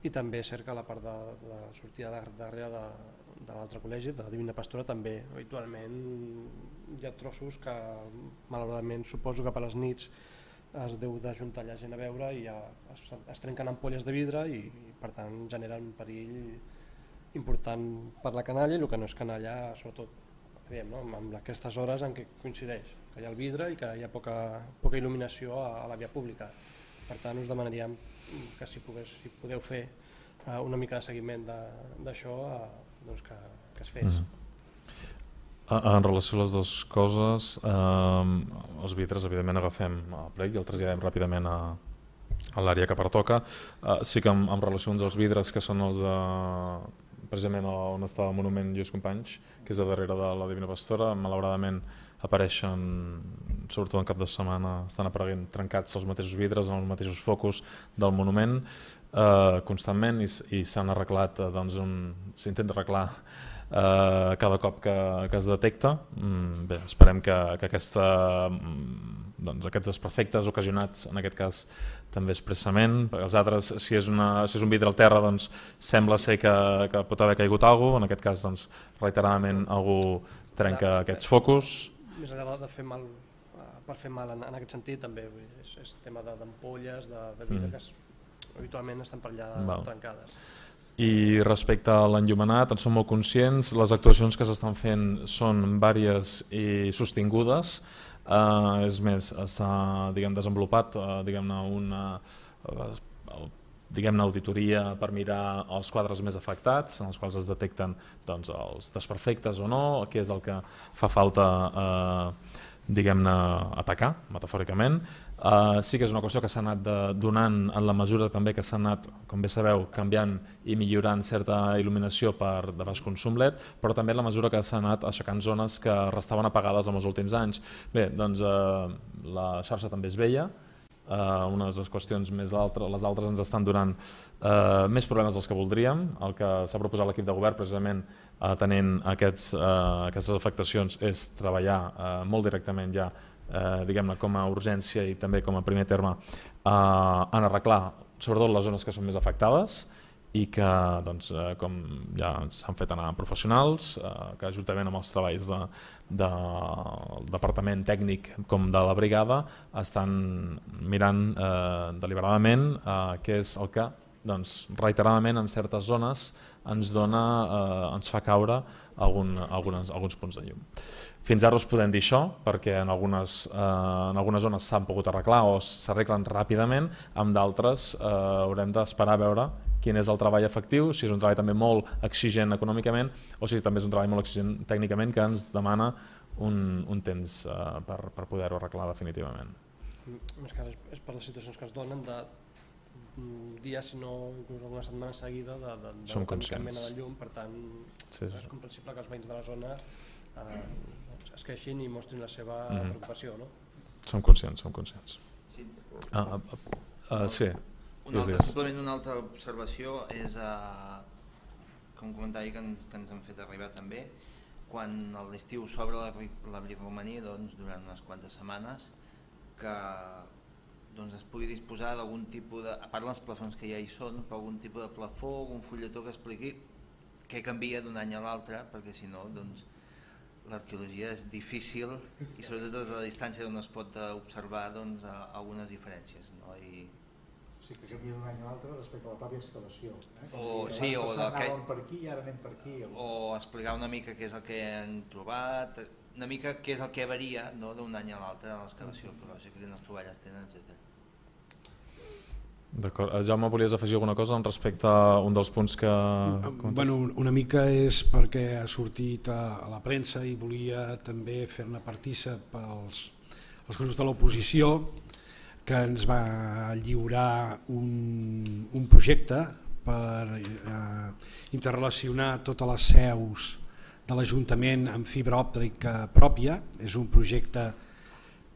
I també és cert que a la part de sortida darrere de l'altre col·legi, de la Divina Pastora, també habitualment hi ha trossos que malauradament suposo que per les nits es deu d'ajuntar la gent a veure i es trenquen ampolles de vidre i per tant generen un perill important per la canalla i el que no és canalla, sobretot amb aquestes hores en què coincideix que hi ha el vidre i que hi ha poca il·luminació a la via pública. Per tant, us demanaríem que si podeu fer una mica de seguiment d'això, que es fes. En relació a les dues coses, els vidres evidentment agafem el plec i el traslladem ràpidament a l'àrea que pertoca. Sí que en relació als vidres que són els de precisament on està el monument Lluís Companys, que és a darrere de la Divina Pastora, malauradament apareixen, sobretot en cap de setmana, estan apareguent trencats els mateixos vidres en els mateixos focus del monument constantment i s'han arreglat, s'intenta arreglar cada cop que es detecta. Bé, esperem que aquests desperfectes ocasionats en aquest cas també expressament, perquè els altres, si és un vidre al terra, sembla ser que pot haver caigut alguna cosa, en aquest cas reiteradament algú trenca aquests focus. Més enllà de fer mal, per fer mal en aquest sentit també és tema d'ampolles, de vidre que habitualment estan per allà trencades. I respecte a l'enllumenat, en som molt conscients, les actuacions que s'estan fent són vàries i sostingudes. És més, s'ha desenvolupat una auditoria per mirar els quadres més afectats, en els quals es detecten els desperfectes o no, què és el que fa falta atacar, metafòricament. Sí que és una qüestió que s'ha anat donant en la mesura també que s'ha anat, com bé sabeu, canviant i millorant certa il·luminació per de baix consum LED, però també en la mesura que s'ha anat aixecant zones que restaven apagades en els últims anys. Bé, doncs la xarxa també és vella, unes qüestions més altres, les altres ens estan donant més problemes dels que voldríem. El que s'ha proposat l'equip de govern, precisament tenint aquestes afectacions, és treballar molt directament ja, diguem-ne, com a urgència i també com a primer terme en arreglar sobretot les zones que són més afectades i que, doncs, com ja s'han fet anar professionals, que juntament amb els treballs del departament tècnic com de la brigada estan mirant deliberadament què és el que, doncs, reiteradament en certes zones ens fa caure alguns punts de llum. Fins ara us podem dir això perquè en algunes zones s'han pogut arreglar o s'arreglen ràpidament, amb d'altres haurem d'esperar a veure quin és el treball efectiu, si és un treball també molt exigent econòmicament o si també és un treball molt exigent tècnicament que ens demana un temps per poder-ho arreglar definitivament. Més que és per les situacions que es donen de dies, si no inclús alguna setmana seguida de no tenir cap mena de llum, per tant és comprensible que els veïns de la zona es queixin i mostrin la seva preocupació. Som conscients. Sí. Sí. Simplement una altra observació és com un comentari que ens han fet arribar també. Quan a l'estiu s'obre l'abric romaní, durant unes quantes setmanes, que es pugui disposar d'algun tipus de, a part dels plafons que ja hi són, però algun tipus de plafó, algun fulletó que expliqui què canvia d'un any a l'altre, perquè si no l'arqueologia és difícil i sobretot des de la distància on es pot observar algunes diferències. Sí, que canvia d'un any a l'altre respecte a la pròpia excavació. Anàvem per aquí i ara anem per aquí. O explicar una mica què és el que han trobat, una mica què és el que varia d'un any a l'altre a l'excavació arqueològica, quines troballes tenen, etc. D'acord. Jaume, volies afegir alguna cosa respecte a un dels punts que... Una mica és perquè ha sortit a la premsa i volia també fer-ne partícip als grups de l'oposició, que ens va lliurar un projecte per interrelacionar totes les seus de l'Ajuntament amb fibra òptica pròpia. És un projecte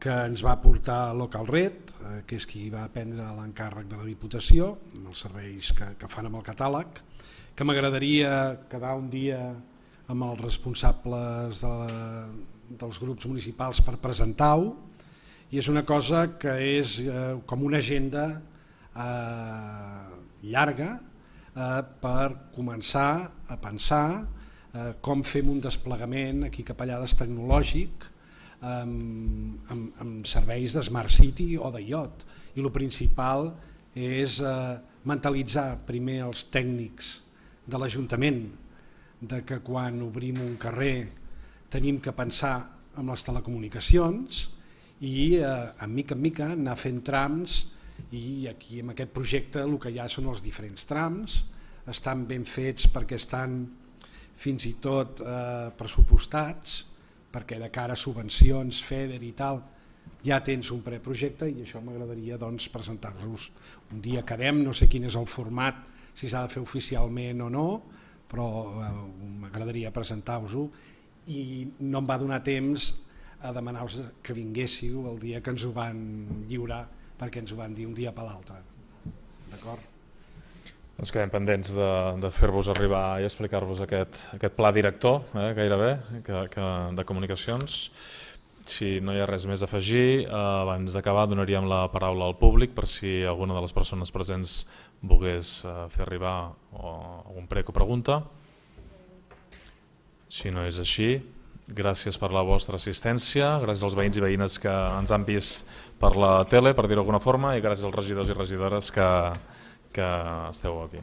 que ens va portar Localred, que és qui va prendre l'encàrrec de la Diputació, amb els serveis que fan amb el catàleg, que m'agradaria quedar un dia amb els responsables dels grups municipals per presentar-ho, i és una cosa que és com una agenda llarga per començar a pensar com fem un desplegament aquí cap allà tecnològic amb serveis de Smart City o de IoT. I el principal és mentalitzar primer els tècnics de l'Ajuntament de que quan obrim un carrer tenim que pensar en les telecomunicacions i en mica en mica anar fent trams, i aquí en aquest projecte el que hi ha són els diferents trams, estan ben fets perquè estan fins i tot pressupostats, perquè de cara a subvencions, FEDER i tal, ja tens un preprojecte, i això m'agradaria presentar-vos un dia. Quedem, no sé quin és el format, si s'ha de fer oficialment o no, però m'agradaria presentar-vos-ho, i no em va donar temps a demanar-vos que vinguéssiu el dia que ens ho van lliurar, perquè ens ho van dir un dia per l'altre. D'acord? Doncs quedem pendents de fer-vos arribar i explicar-vos aquest pla director, gairebé, de comunicacions. Si no hi ha res més a afegir, abans d'acabar donaríem la paraula al públic per si alguna de les persones presents volgués fer arribar algun prec o pregunta. Si no és així, gràcies per la vostra assistència, gràcies als veïns i veïnes que ens han vist per la tele, per dir-ho d'alguna forma, i gràcies als regidors i regidores que esteu aquí.